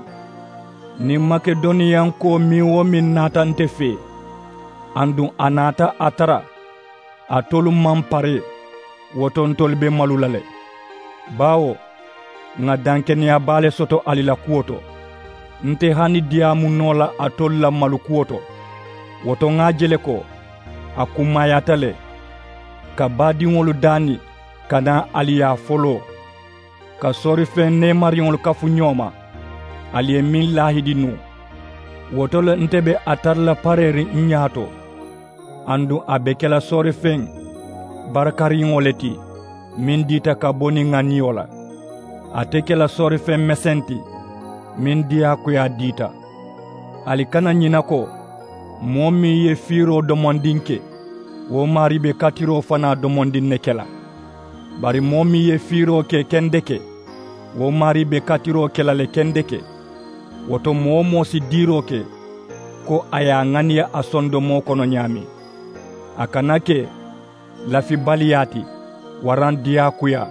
Niŋ makedoniyankoo meŋ-wo-meŋ naata nte fee aduŋ a naata a tara alitolu maŋ paree, wo to ntolu be malu la le. Baawo ŋà dankeneyaa baa le soto ali la kuwo to. Nte hani diyaamu noo la alitolu la malu kuwo to. Wo to ŋà a je le ko a kummaayaata le ka baadiŋolu daani ka naa ali yaa foloo ka soorifeŋ neemariŋolu kafu ñoo ma. Ali ye meŋ laahidi nuŋ wo to le nte be a tara la pareeriŋ n ñaato. Aduŋ a be ke la soorifeŋ barakariŋo le ti meŋ diita ka bo niŋ ŋà niyo la. A te ke la soorifeŋ meseŋ ti meŋ diyaakuyaa diita. Ali kana ñina ko moo meŋ ye fiiroo domondiŋ ke wo maarii be katiroo fanaa domondiŋ ne ke la. Bari moo meŋ ye fiiroo ke kendeke wo maarii be katiroo ke la le kendeke. Wo to moo-wo-moo si diiroo ke ko a ye a ŋaniya a sondomoo kono ñaameŋ. A kana ke lafibaliyaa ti waraŋ diyaakuyaa.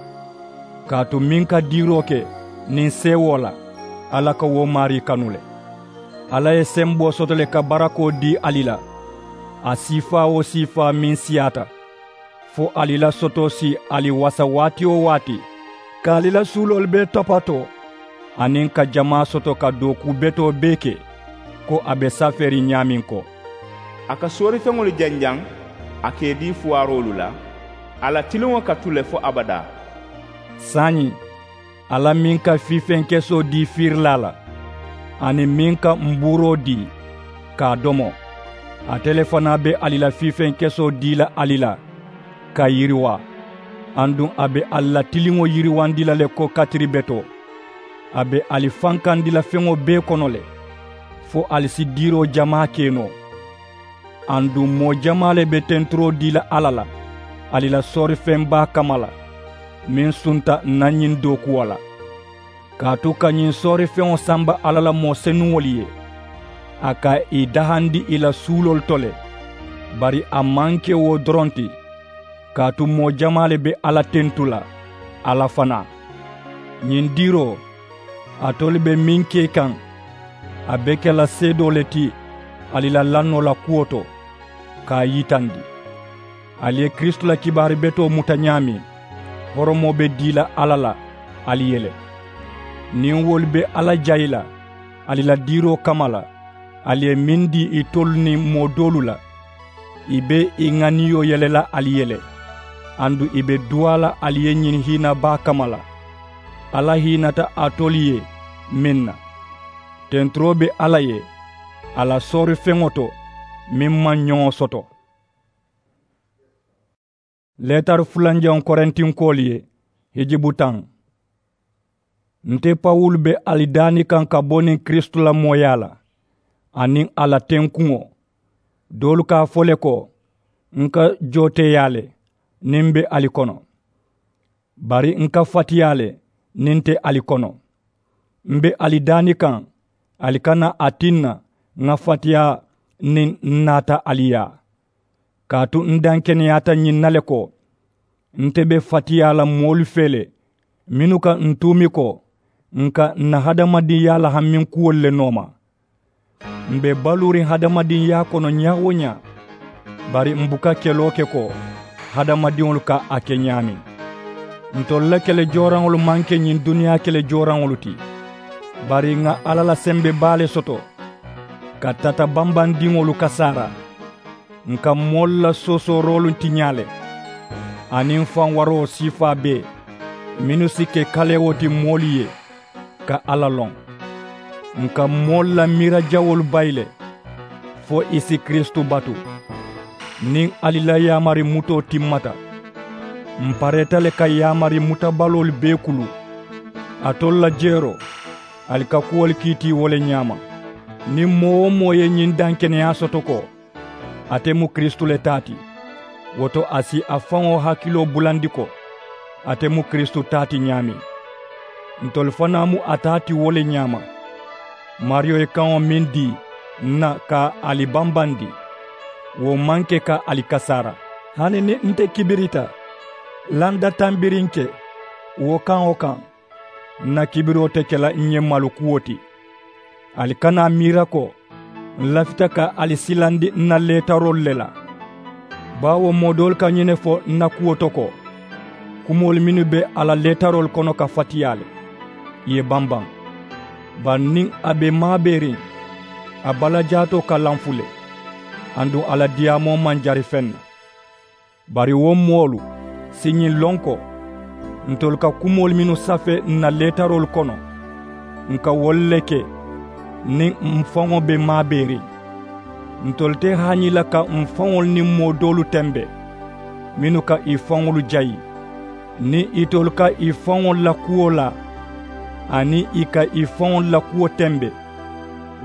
Kaatu meŋ ka diiroo ke niŋ seewoo la alla ka wo maarii kanu le. Alla ye semboo soto le ka barakoo dii ali la a siifaa-wo-siifaa meŋ siyaata fo ali la sotoo si ali wasa waati-wo-waati ka ali la suuloolu bee topatoo aniŋ ka jamaa soto ka dookuu betoo bee ke ko a be safeeriŋ ñaameŋ ko a ka soorifeŋolu janjaŋ a ka ì dii fuwaaroolu la. A la tiliŋo ka tu le fo abadaa. Saayiŋ alla meŋ ka fiifeŋ kesoo dii fiirilaa la aniŋ meŋ ka mbuuroo dii ka a domo ate le fanaa be ali la fiifeŋ kesoo dii la ali la ka yiriwaa. Aduŋ a be ali la tiliŋo yiriwandi la le ko katiri betoo a be ali fankandi la feŋo bee kono le fo ali si diiroo jamaa ke noo. Aduŋ moo jamaa le be tenturoo dii la alla la ali la soorifeŋ baa kamma la meŋ sunta ǹ na ñiŋ dookuwo la. Kaatu ka ñiŋ soorifeŋo samba alla la moo senuŋolu ye a ka ì dahandi ì la suuloolu to le. Bari a maŋ ke wo doroŋ ti kaatu moo jamaa le be alla tentu la alla fanaa. Ñiŋ diiroo alitolu be meŋ ke kaŋ a be ke la seedoo le ti ali la lannoo la kuwo to ka a yitandi. Ali ye kiristu la kibaari betoo muta ñaameŋ horomoo be dii la alla la ali ye le. Niŋ wolu be alla jayi la ali la diiroo kamma la ali ye meŋ dii itolu niŋ moo doolu la ì be ì ŋaniyo yele la ali ye le. Aduŋ ì be duwaa la ali ye ñiŋ hiina baa kamma la alla hiinata alitolu ye meŋ na. Tenturoo be alla ye a la soorifeŋo to meŋ maŋ ñoŋo soto. Leetari fulanjaŋo korintinkoolu ye hijibu taŋ. Nte pawulu be ali daani kaŋ ka bo niŋ kiristu la mooyaa la aniŋ a la tenkuŋo. Doolu ka a fo le ko n ka jooteeyaa le niŋ m be ali kono bari n ka fatiyaa le niŋ n te ali kono. M be ali daani kaŋ ali kana a tinna ŋà fatiyaa niŋ n naata ali yaa. Kaatu n dankeneyaata ñiŋ na le ko nte be fatiyaa la moolu fee le mennu ka n tuumi ko n ka n na hadamadiŋyaa la haminkuwolu le nooma. M be baluuriŋ hadamadiŋyaa kono ñaa-wo-ñaa bari m buka keloo ke ko hadamadiŋolu ka a ke ñaameŋ. Ntolu la kele jooraŋolu maŋ ke ñiŋ duniyaa kele jooraŋolu ti. Bari ŋà alla la sembe baa le soto ka tata bambandiŋolu kasaara. Ǹ ka moolu la soosooroolu tiñaa le aniŋ faŋ waroo siifaa bee mennu si ke kalewo ti moolu ye ka alla loŋ. Ǹ ka moolu la miira jawolu bayi le fo ì si kiristu batu. Niŋ ali la yaamari mutoo timmata, m pareeta le ka yaamari mutabaloolu bee kulu. Alitolu la jeeroo, ali ka kuwolu kiiti wo le ñaama. Niŋ moo-wo-moo ye ñiŋ dankeneyaa soto ko ate mu kiristu le taa ti, wo to a si a faŋo hakiloo bulandi ko ate mu kiristu taa ti ñaameŋ. Ntolu fanaa mu a taa ti wo le ñaama. Maariyo ye kaŋo meŋ dii ǹ na ka ali bambandi, wo maŋ ke ka ali kasaara. Hani niŋ nte kibirita landa tambiriŋ ke wo kaŋo kaŋ, ǹ na kibiroo te ke la ǹ ye malu kuwo ti. Ali kana a miira ko ǹ lafita ka ali silandi ǹ na leetaroolu le la. Baawo moo doolu ka ñiŋ ne fo ǹ na kuwo to ko, kumoolu mennu be a la leetaroolu kono ka fatiyaa le, ì ye bambaŋ. Bari niŋ a be maabeeriŋ, a balajaatoo ka lanfu le, aduŋ a la diyaamoo maŋ jari feŋ na. Bari wo moolu si ñiŋ loŋ ko, ntolu ka kumoolu mennu safee ǹ na leetaroolu kono, ǹ ka wolu le ke niŋ m faŋo be maabeeriŋ. Ntolu te haañi la ka m faŋolu niŋ moo doolu tembe, mennu ka ì faŋolu jayi. Niŋ itolu ka ì faŋolu la kuwo laa, aniŋ ì ka ì faŋolu la kuwo tembe,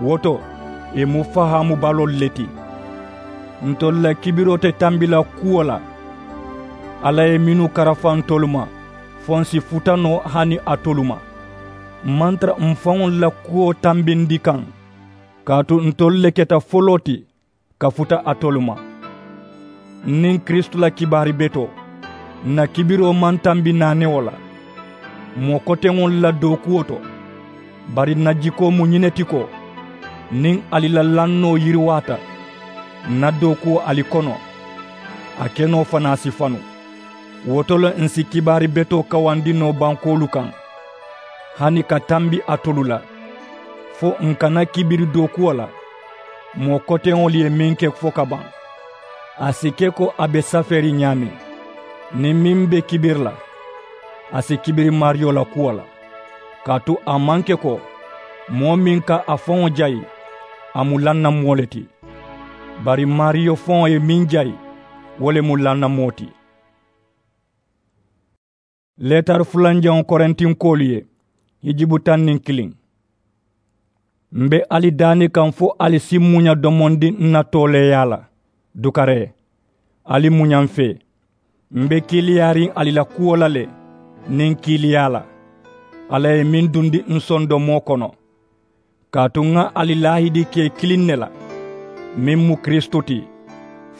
wo to ì mu fahaamu baloolu le ti. Ntolu la kibiroo te tambi la kuwo la. Alla ye mennu karafa ntolu ma, fo ǹ si futa noo hani alitolu ma. M maŋ tara m faŋolu la kuwo tambindi kaŋ, kaatu ntolu le keta foloo ti ka futa alitolu ma. N niŋ kiristu la kibaari betoo, ǹ na kibiroo maŋ tambi naanewo la moo koteŋolu la dookuwo to. Bari ǹ na jikoo mu ñiŋ ne ti ko, niŋ ali la lannoo yiriwaata, ǹ na dookuwo ali kono, a kenoo fanaa si fanu. Wo to le ǹ si kibaari betoo kawandi noo bankoolu kaŋ, hani ka tambi alitolu la, fo ǹ kana kibiri dookuwo la moo koteŋolu ye meŋ ke fo ka baŋ. A si ke ko a be safeeriŋ ñaameŋ, niŋ meŋ be kibiri la, a si kibiri maariyo la kuwo la. Kaatu a maŋ ke ko moo meŋ ka a faŋo jayi, a mu lanna moo le ti. Bari maariyo faŋo ye meŋ jayi, wo le mu lanna moo ti. Leetari fulanjaŋo korintinkoolu ye, hijibu taŋ niŋ kiliŋ. M be ali daani kaŋ fo ali si muña domondi n na tooleeyaa la. Dukaree, ali muña m fee. M be kiiliyaariŋ ali la kuwo la le niŋ kiiliyaa la, alla ye meŋ dundi n sondomoo kono. Kaatu ŋa ali laahidi ke kiliŋ ne la, meŋ mu kiristu ti,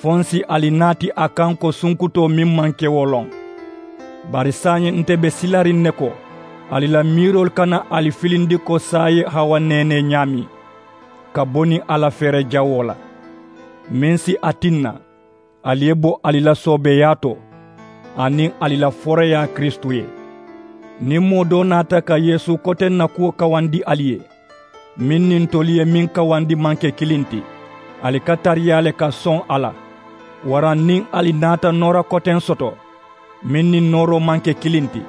fo n si ali naati a kaŋ ko sunkutoo meŋ maŋ ke wo loŋ. Bari saayiŋ nte be silariŋ ne ko ali la miiroolu kana ali filindi ko saa ye hawa neenee ñaameŋ, ka bo niŋ a la feere jawoo la, meŋ si a tinna ali ye bo ali la soobeeyaa to, aniŋ ali la foroyaa kiristu ye. Niŋ moo doo naata ka yeesu koteŋ na kuwo kawandi ali ye, meŋ niŋ ntolu ye meŋ kawandi maŋ ke kiliŋ ti, ali ka tariyaa le ka soŋ a la. Waraŋ niŋ ali naata noora koteŋ soto, meŋ niŋ nooroo maŋ ke kiliŋ ti,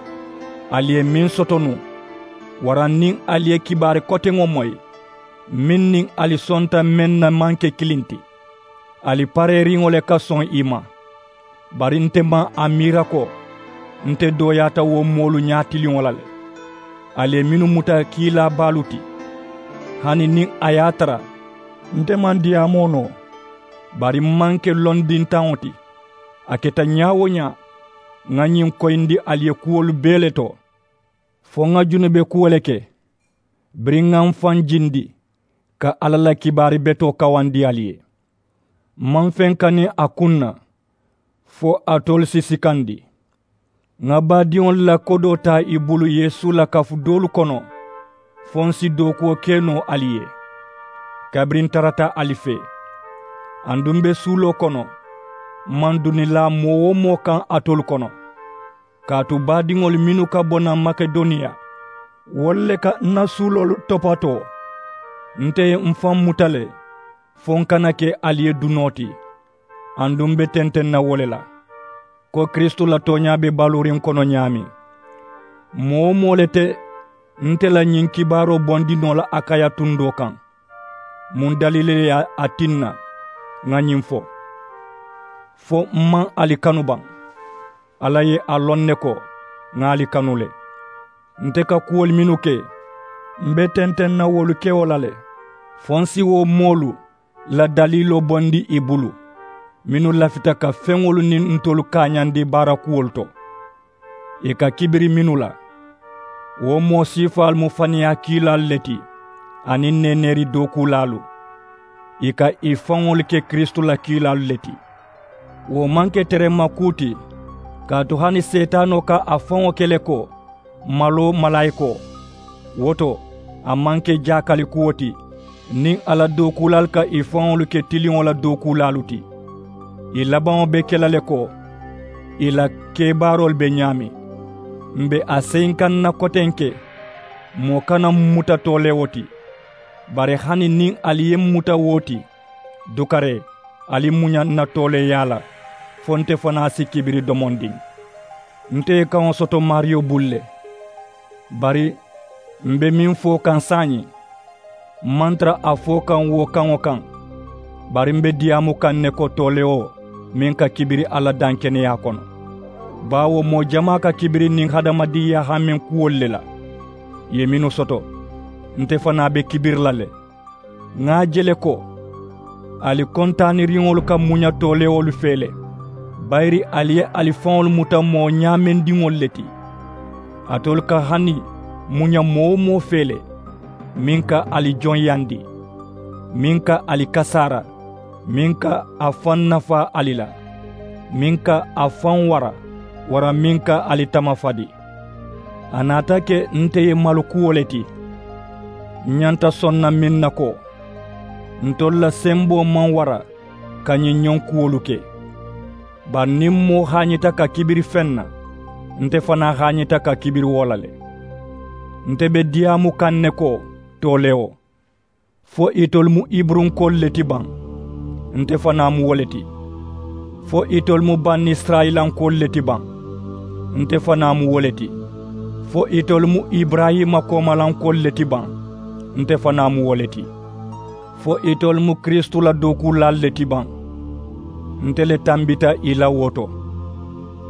ali ye meŋ soto nuŋ. Waraŋ niŋ ali ye kibaari koteŋo moyi, meŋ niŋ ali sonta meŋ na maŋ ke kiliŋ ti, ali pareeriŋo le ka soŋ i ma. Bari nte maŋ a miira ko nte dooyaata wo moolu ñaatiliŋo la le. Ali ye mennu muta kiilaa baalu ti, hani niŋ a ye a tara nte maŋ diyaamoo noo, bari m maŋ ke londintaŋo ti. A keta ñaa-wo-ñaa, ŋa ñiŋ koyindi ali ye kuwolu bee le to, fo ŋa junube kuwo le ke, biriŋ ŋa m faŋ jindi ka alla la kibaari betoo kawandi ali ye. M maŋ feŋ kani a kuŋ na fo alitolu si sikandi. Ŋa baadiŋolu la kodoo taa i bulu yeesu la kafu doolu kono, fo n si dookuwo ke noo ali ye, kabiriŋ n tarata ali fee. Aduŋ m be suuloo kono, m maŋ duni laa moo-wo-moo kaŋ alitolu kono. Kaatu baadiŋolu mennu ka bo naŋ makedoniya, wolu le ka n na suuloolu topatoo. Nte ye m faŋ muta le fo n kana ke ali ye dunoo ti. Aduŋ m be tenteŋ na wo le la, ko kiristu la tooñaa be baluuriŋ kono ñaameŋ. Moo-wo-moo le te nte la ñiŋ kibaaroo bondi noo la akaya tundoo kaŋ. Muŋ daliili le ye a tinna ŋa ñiŋ fo? Fo m maŋ ali kanu baŋ. Alla ye a loŋ ne ko ŋa ali kanu le. Nte ka kuwolu mennu ke m be tenteŋ na wolu kewo la le, fo n si wo moolu la daliiloo bondi ì bulu, mennu lafita ka feŋolu niŋ ntolu kaañandi baarakuwolu to. Ì ka kibiri mennu la, wo moo siifaalu mu faniyaa kiilaalu le ti, aniŋ neeneeri dookuulaalu. Ì ka ì faŋolu ke kiristu la kiilaalu le ti. Wo maŋ ke terema kuu ti, kaatu hani seetaanoo ka a faŋo ke le ko maloo malaayikoo. Wo to, a maŋ ke jaakali kuwo ti niŋ a la dookuulaalu ka ì faŋolu ke tiliŋo la dookuulaalu ti. Ì labaŋo be ke la le ko ì la kebaaroolu be ñaameŋ. M be a seyinkaŋ na kotenke, moo kana m muta tooleewo ti. Bari hani niŋ ali ye m muta wo ti, dukaree, ali muña n na tooleeyaa la, fo nte fanaa si kibiri domondiŋ. Nte ye kaŋo soto maariyo bulu le. Bari m be meŋ fo kaŋ saayiŋ, m maŋ tara a fo kaŋ wo kaŋo kaŋ. Bari m be diyaamu kaŋ ne ko toolewo meŋ ka kibiri alla dankeneyaa kono. Baawo moo jamaa ka kibiri niŋ hadamadiŋyaa haameŋ kuwolu le la. Ì ye mennu soto, nte fanaa be kibiri la le. Ŋa a je le ko ali kontaaniriŋolu ka muña toolewolu fee le, bayiri ali ye ali faŋolu muta moo ñaamendiŋolu le ti. Alitolu ka hani muña moo-wo-moo fee le, meŋ ka ali joŋyandi, meŋ ka ali kasaara, meŋ ka a faŋ nafaa ali la, meŋ ka a faŋ wara, waraŋ meŋ ka ali tamafadi. A naata ke nte ye malukuwo le ti. N ñanta soŋ na meŋ na ko, ntolu la semboo maŋ wara ka ñiŋ ñoŋ kuwolu ke. Bari niŋ moo haañita ka kibiri feŋ na, nte fanaa haañita ka kibiri wo la le. Nte be diyaamu kaŋ ne ko toolewo, fo itolu mu iburunkoolu le ti baŋ? Nte fanaa mu wo le ti. Fo itolu mu banisirayilankoolu le ti baŋ? Nte fanaa mu wo le ti. Fo itolu mu iburayima koomalankoolu le ti baŋ? Nte fanaa mu wo le ti. Fo itolu mu kiristu la dookuulaalu le ti baŋ? Nte le tambita ì la wo to.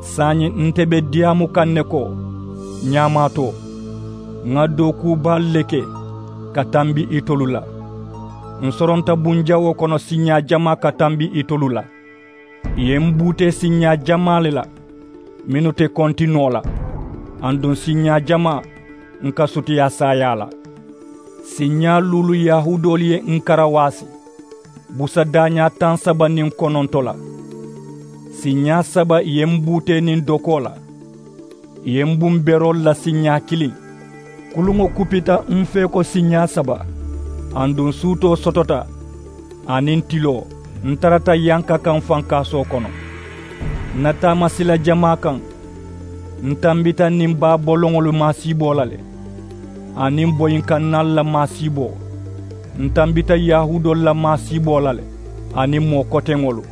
Saayiŋ nte be diyaamu kaŋ ne ko ñaamaatoo, ŋa dookuu baalu le ke ka tambi itolu la. Ǹ soronta bunjawoo kono siiñaa jamaa ka tambi itolu la. Ì ye m buutee siiñaa jamaa le la mennu te konti noo la, aduŋ siiñaa jamaa ǹ ka sutiyaa saayaa la. Siiñaa luulu yahuudoolu ye ǹ karawaasi busa daañaa taŋ saba niŋ kononto la. Siiñaa saba ì ye m buutee niŋ dokoo la. Ì ye m bumberoolu la siiñaa kiliŋ. Kuluŋo kupita m fee ko siiñaa saba, aduŋ suutoo sotota, aniŋ tiloo, n tarata yanka kaŋ fankaasoo kono. N na taamasila jamaa kaŋ, n tambita niŋ baa boloŋolu maasiiboo la le, aniŋ boyinkannaalu la maasiiboo. N tambita yahuudoolu la maasiiboo la le, aniŋ moo koteŋolu.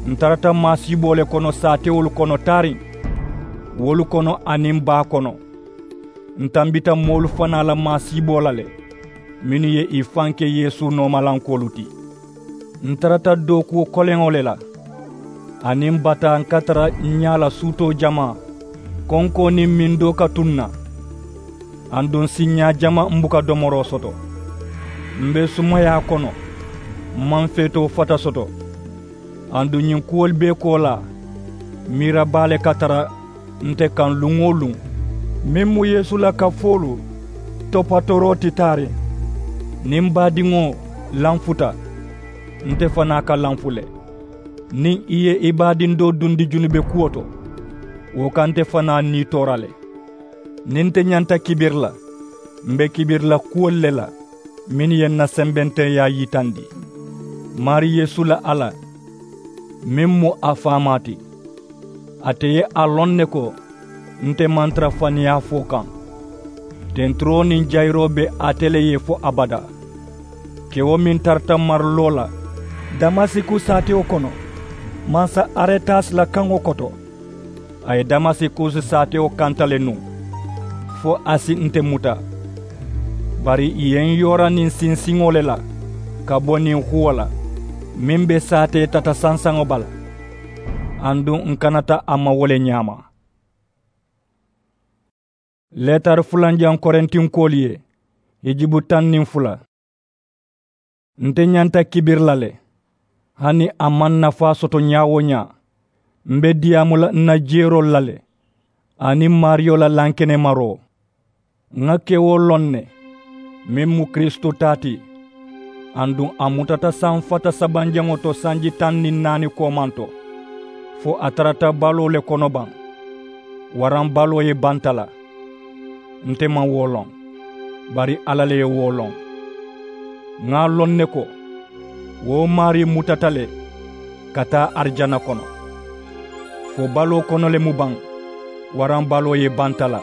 N tarata maasiiboo le kono saatewolu kono taariŋ, wolu kono aniŋ baa kono. N tambita moolu fanaa la maasiiboo la le, mennu ye ì faŋ ke yeesu noomalankoolu ti. N tarata dookuwo koleŋo le la, aniŋ bataa n ka tara n ñaa la suutoo jamaa, konkoo niŋ mindoo ka tuŋ n na. Aduŋ siiñaa jamaa m buka domoroo soto. M be sumayaa kono, m maŋ feetoo fata soto. Aduŋ ñiŋ kuwolu bee koolaa, miira baa le ka tara nte kaŋ luŋ-wo-luŋ. Meŋ mu yeesu la kafoolu topatooroo ti taariŋ, niŋ baadiŋo lanfuta, nte fanaa ka lanfu le. Niŋ ì ye ì baadiŋ doo dundi junube kuwo to, wo ka nte fanaa nii toora le. Niŋ nte ñanta kibiri la, m be kibiri la kuwolu le la mennu ye n na sembenteyaa yitandi. Maarii yeesu la alla, meŋ mu a faamaa ti, ate ye a loŋ ne ko nte maŋ tara faniyaa fo kaŋ. Tenturoo niŋ jayiroo be ate le ye fo abadaa. Kewo meŋ tarata mariloo la damasikusi saatewo kono, mansa aretasi la kaŋo koto, a ye damasikusi saatewo kanta le nuŋ, fo a si nte muta. Bari ì ye n yoora niŋ sinsiŋo le la ka bo niŋ huwo la, meŋ be saatee tata sansaŋo bala. Aduŋ ǹ kanata a ma wo le ñaama. Leetari fulanjaŋ korintinkoolu ye, hijibu taŋ niŋ fula. Nte ñanta kibiri la le, hani a maŋ nafaa soto ñaa-wo-ñaa. M̀ be diyaamu la ǹ na jeeroolu la le, aniŋ maariyo la lankenemaroo. Ŋà kewoo loŋ ne, meŋ mu kiristu taa ti. Aduŋ a mutata sanfata sabanjaŋo to sanji taŋ niŋ naani koomaŋ to, fo a tarata baloo le kono baŋ? Waraŋ baloo ye banta la? Nte maŋ wo loŋ, bari alla le ye wo loŋ. Ŋà a loŋ ne ko, wo maarii mutata le ka taa arijana kono. Fo baloo kono le mu baŋ, waraŋ baloo ye banta la?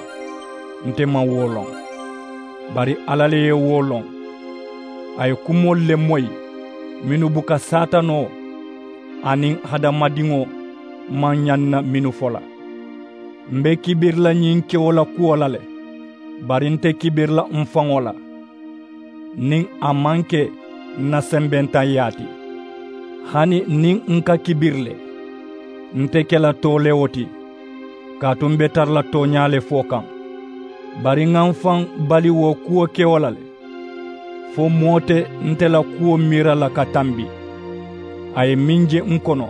Nte maŋ wo loŋ, bari alla le ye wo loŋ. A ye kumoolu le moyi mennu buka saatanoo aniŋ hadamadiŋo maŋ ñaŋ na mennu fo la. M̀ be kibiri la ñiŋ kewo la kuwo la le, bari nte kibiri la m̀ faŋo la, niŋ a maŋ ke ǹ na sembentaŋyaa ti. Hani niŋ ǹ ka kibiri le, nte ke la toolewo ti, kaatu m̀ be tara la tooñaa le fo kaŋ. Bari ŋà m̀ faŋ bali wo kuwo kewo la le, fo moo te nte la kuwo miira la ka tambi. A ye meŋ je ǹ kono,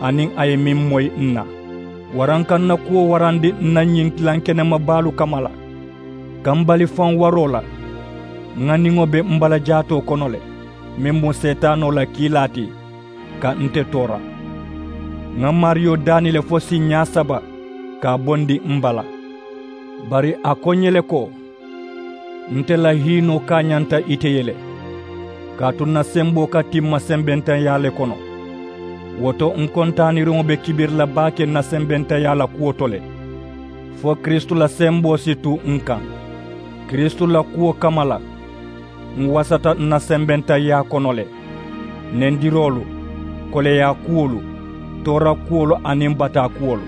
aniŋ a ye meŋ moyi ǹ na, waraŋ ka ǹ na kuwo warandi ǹ na ñiŋ tilankenema baalu kamma la. Ka m̀ bali faŋ waroo la, ŋà niŋo be m̀ bala jaatoo kono le, meŋ mu seetaanoo la kiilaa ti, ka nte toora. Ŋà maariyo daani le fo siiñaa saba ka a bondi m̀ bala. Bari a ko ǹ ye le ko, nte la hiinoo kaañanta ite ye le, kaatu ǹ na semboo ka timma sembentaŋyaa le kono. Wo to ǹ kontaaniriŋo be kibiri la baake ǹ na sembentaŋyaa la kuwo to le, fo kiristu la semboo si tu ǹ kaŋ. Kiristu la kuwo kamma la, ǹ wasata ǹ na sembentaŋyaa kono le, nendiroolu, koleyaa kuwolu, toora kuwolu aniŋ bataa kuwolu.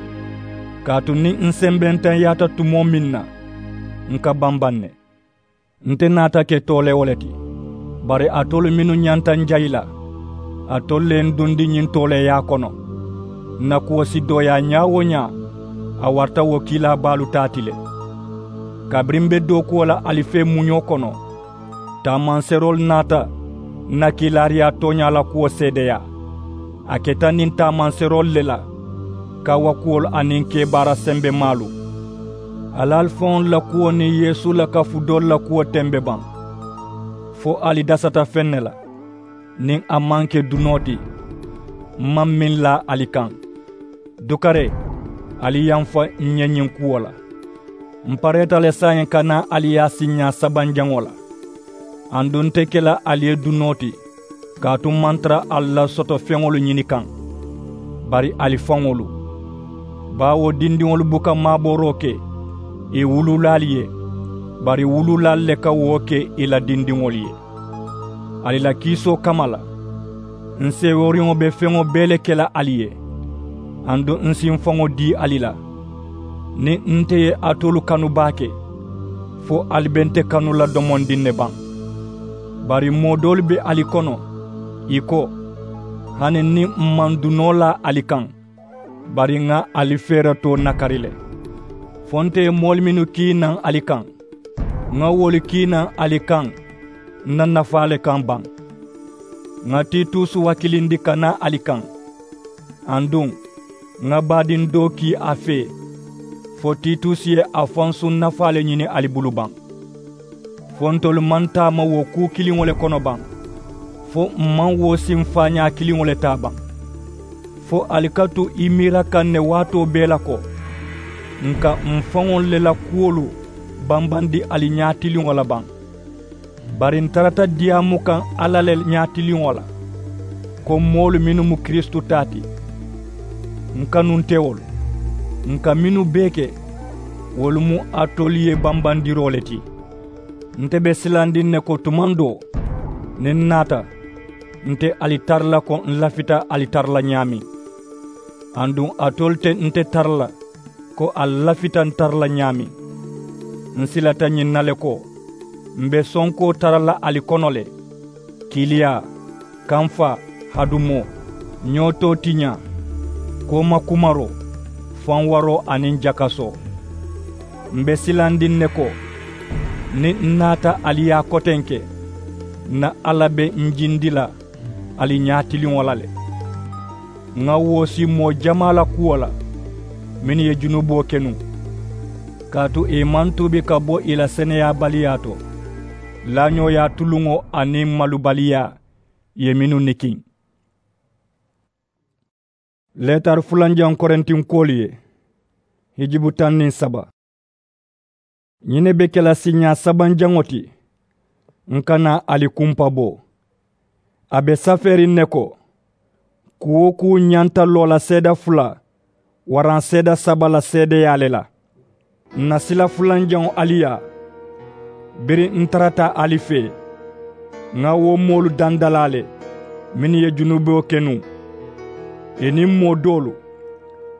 Kaatu niŋ ǹ sembentaŋyaata tumoo meŋ na, ǹ ka bambaŋ ne. Nte naata ke toolewo le ti, bari alitolu mennu ñanta ǹ jayi la, alitolu le ye ǹ dundi ñiŋ tooleeyaa kono. Ǹ na kuwo si dooyaa ñaa-wo-ñaa, a warata wo kiilaa baalu taa ti le. Kabiriŋ m̀ be dookuwo la ali fee muñoo kono, taamanseeroolu naata ǹ na kiilaariyaa tooñaa la kuwo seedeyaa. A keta niŋ taamanseeroolu le la, kaawakuwolu aniŋ kebaara sembemaalu. Ali ali faŋolu la kuwo niŋ yeesu la kafu doolu la kuwo tembe baŋ? Fo ali dasata feŋ ne la? Niŋ a maŋ ke dunoo ti, m̀ maŋ meŋ laa ali kaŋ. Dukaree, ali yamfa ǹ ye ñiŋ kuwo la. M̀ pareeta le saayiŋ ka naa ali yaa siiñaa sabanjaŋo la. Aduŋ nte ke la ali ye dunoo ti, kaatu m̀ maŋ tara ali la soto feŋolu ñini kaŋ, bari ali faŋolu. Baawo dindiŋolu buka maabooroo ke ì wuluulaalu ye, bari wuluulaalu le ka wo ke ì la dindiŋolu ye. Ali la kiisoo kamma la, ǹ seeworiŋo be feŋo bee le ke la ali ye. Aduŋ ǹ si ǹ faŋo dii ali la, niŋ nte ye alitolu kanu baake, fo ali be nte kanu la domondiŋ ne baŋ? Bari moo doolu be ali kono, ì ko, hani niŋ m̀ maŋ dunoo laa ali kaŋ, bari ŋà ali feeretoo nakari le. Fo nte ye moolu mennu kii naŋ ali kaŋ, ŋà wolu kii naŋ ali kaŋ ǹ na nafaa le kaŋ baŋ. Ŋà titusu hakilindi ka naa ali kaŋ. Aduŋ ŋà baadiŋ doo kii a fee, fo titusi ye a fansuŋ nafaa le ñini ali bulu baŋ. Fo ntolu maŋ taama wo kuu kiliŋo le kono baŋ, fo m̀ maŋ wo siŋ faañaa kiliŋo le taa baŋ? Fo ali ka tu i miira kaŋ ne waatoo bee la ko, ǹ ka m̀ faŋolu le la kuwolu bambandi ali ñaatiliŋo la baŋ? Bari ǹ tarata diyaamu kaŋ alla le ñaatiliŋo la, ko moolu mennu mu kiristu taa ti. Ǹ kanuntewolu, ǹ ka mennu bee ke, wolu mu alitolu ye bambandiroo le ti. Nte be silandiŋ ne ko tumaŋ doo, niŋ ǹ naata, nte ali tara la ko ǹ lafita ali tara la ñaameŋ. Aduŋ alitolu te nte tara la ko ali lafita ǹ tara la ñaameŋ. Ǹ silata ñiŋ na le ko, m̀ be sonkoo tara la ali kono le, kiiliyaa, kamfaa, hadumoo, ñoo tootiñaa, Kooma kumaroo, fanwaroo aniŋ jakasoo. M be silandiŋ ne ko, niŋ n naata ali yaa kotenke, n na alla be n jindi la ali ñaatiliŋo la le. Ŋà woosi moo jamaa la kuwo la mennu ye junuboo ke nuŋ, kaatu ì maŋ tuubi ka bo ì la seneyaabaliyaa to, laañooyaa tuluŋo aniŋ malubaliyaa ye mennu nikiŋ. Leetari fulanjaŋo korintinkoolu ye, hijibu taŋ niŋ saba. Ñiŋ ne be ke la siiñaa sabanjaŋo ti, n kana ali kumpa bo. A be safeeriŋ ne ko, kuu-wo-kuu ñanta loo la seede fula waraŋ seede saba la seedeyaa le la. N na sila fulanjaŋo ali yaa, biriŋ n tarata ali fee, ŋà wo moolu dandalaa le mennu ye junuboo ke nuŋ, ì niŋ moo doolu.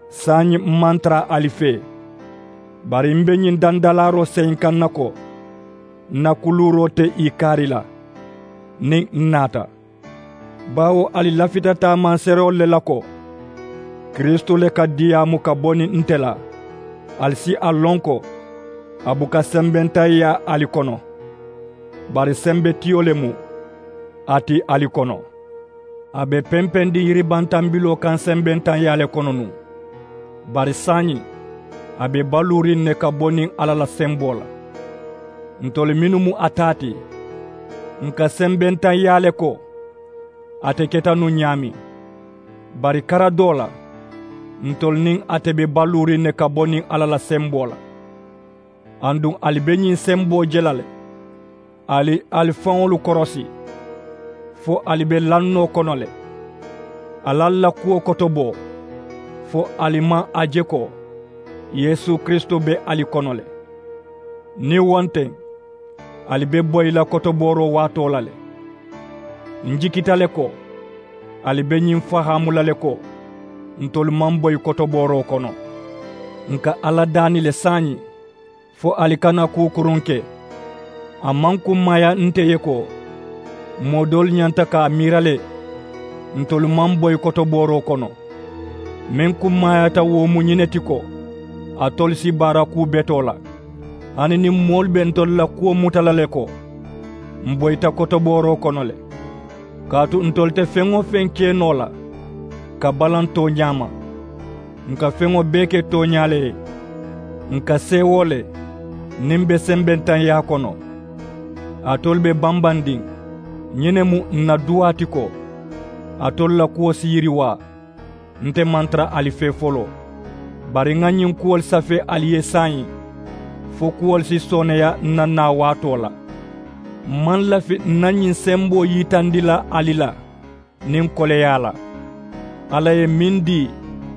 Saayiŋ m maŋ tara ali fee, bari m be ñiŋ dandalaaroo seyinkaŋ na ko, n na kuluuroo te ì kaari la niŋ n naata. Baawo ali lafita taamanseereelu le la ko, kiristu le ka diyaamu ka bo niŋ nte la. Ali si a loŋ ko, a buka sembentaŋyaa ali kono, bari sembetiyo le mu a ti ali kono. A be pempendiŋ yiribantambiloo kaŋ sembentaŋyaa le kono nuŋ, bari saayiŋ a be baluuriŋ ne ka bo niŋ alla la semboo la. Ntolu mennu mu a taa ti, n ka sembentaŋyaa le ko, ate keta nuŋ ñaameŋ. Bari kara doo la, ntolu niŋ ate be baluuriŋ ne ka bo niŋ alla la semboo la. Aduŋ ali be ñiŋ semboo je la le, ali ali faŋolu korosi, fo ali be lannoo kono le. Ali ali la kuwo kotoboo, fo ali maŋ a je ko yeesu kiristu be ali kono le. Niŋ wo nteŋ, ali be boyi la kotobooroo waatoo la le. N jikita le ko, ali be ñiŋ fahaamu la le ko, ntolu maŋ boyi kotobooroo kono. N ka alla daani le saayiŋ, fo ali kana kuu kuruŋ ke. A maŋ kummaaya nte ye ko, moo doolu ñanta ka a miira le, ntolu maŋ boyi kotobooroo kono. Meŋ kummaayaata wo mu ñiŋ ne ti ko, alitolu si baara kuu betoo la, hani niŋ moolu be ntolu la kuwo muta la le ko, m boyita kotobooroo kono le. Kaatu ntolu te feŋ-wo-feŋ ke noo la ka balaŋ tooñaa ma. N ka feŋo bee ke tooñaa le ye. N ka seewoo le, niŋ m be sembentaŋyaa kono, alitolu be bambandiŋ. Ñiŋ ne mu n na duwaa ti ko, alitolu la kuwo si yiriwaa. Nte maŋ tara ali fee foloo, bari ŋà ñiŋ kuwolu safee ali ye saayiŋ, fo kuwolu si sooneeya n na naa waatoo la. M maŋ lafi n na ñiŋ semboo yitandi la ali la niŋ koleyaa la. Alla ye meŋ dii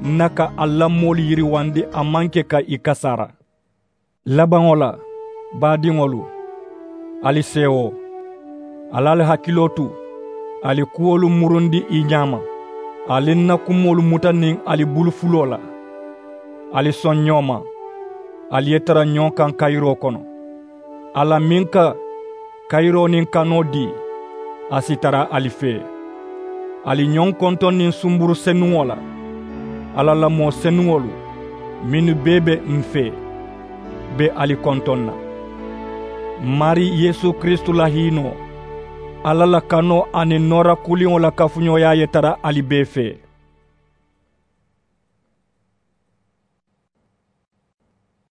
n na ka ali la moolu yiriwandi, a maŋ ke ka ì kasaara. Labaŋo la, baadiŋolu, ali seewoo. Ali ali hakiloo tu, ali kuwolu murundi ì ñaama. Ali n na kumoolu muta niŋ ali bulu fuloo la. Ali soŋ ñoo ma. Ali ye tara ñoo kaŋ kayiroo kono. Alla meŋ ka kayiroo niŋ kanoo dii, a si tara ali fee. Ali ñoŋ kontoŋ niŋ sumburu senuŋo la. Alla la moo senuŋolu mennu bee be m fee be ali kontoŋ na. Maarii yeesu kiristu la hiinoo, alla la kanoo aniŋ noora kuliŋo la kafuñooyaa ye tara ali bee fee.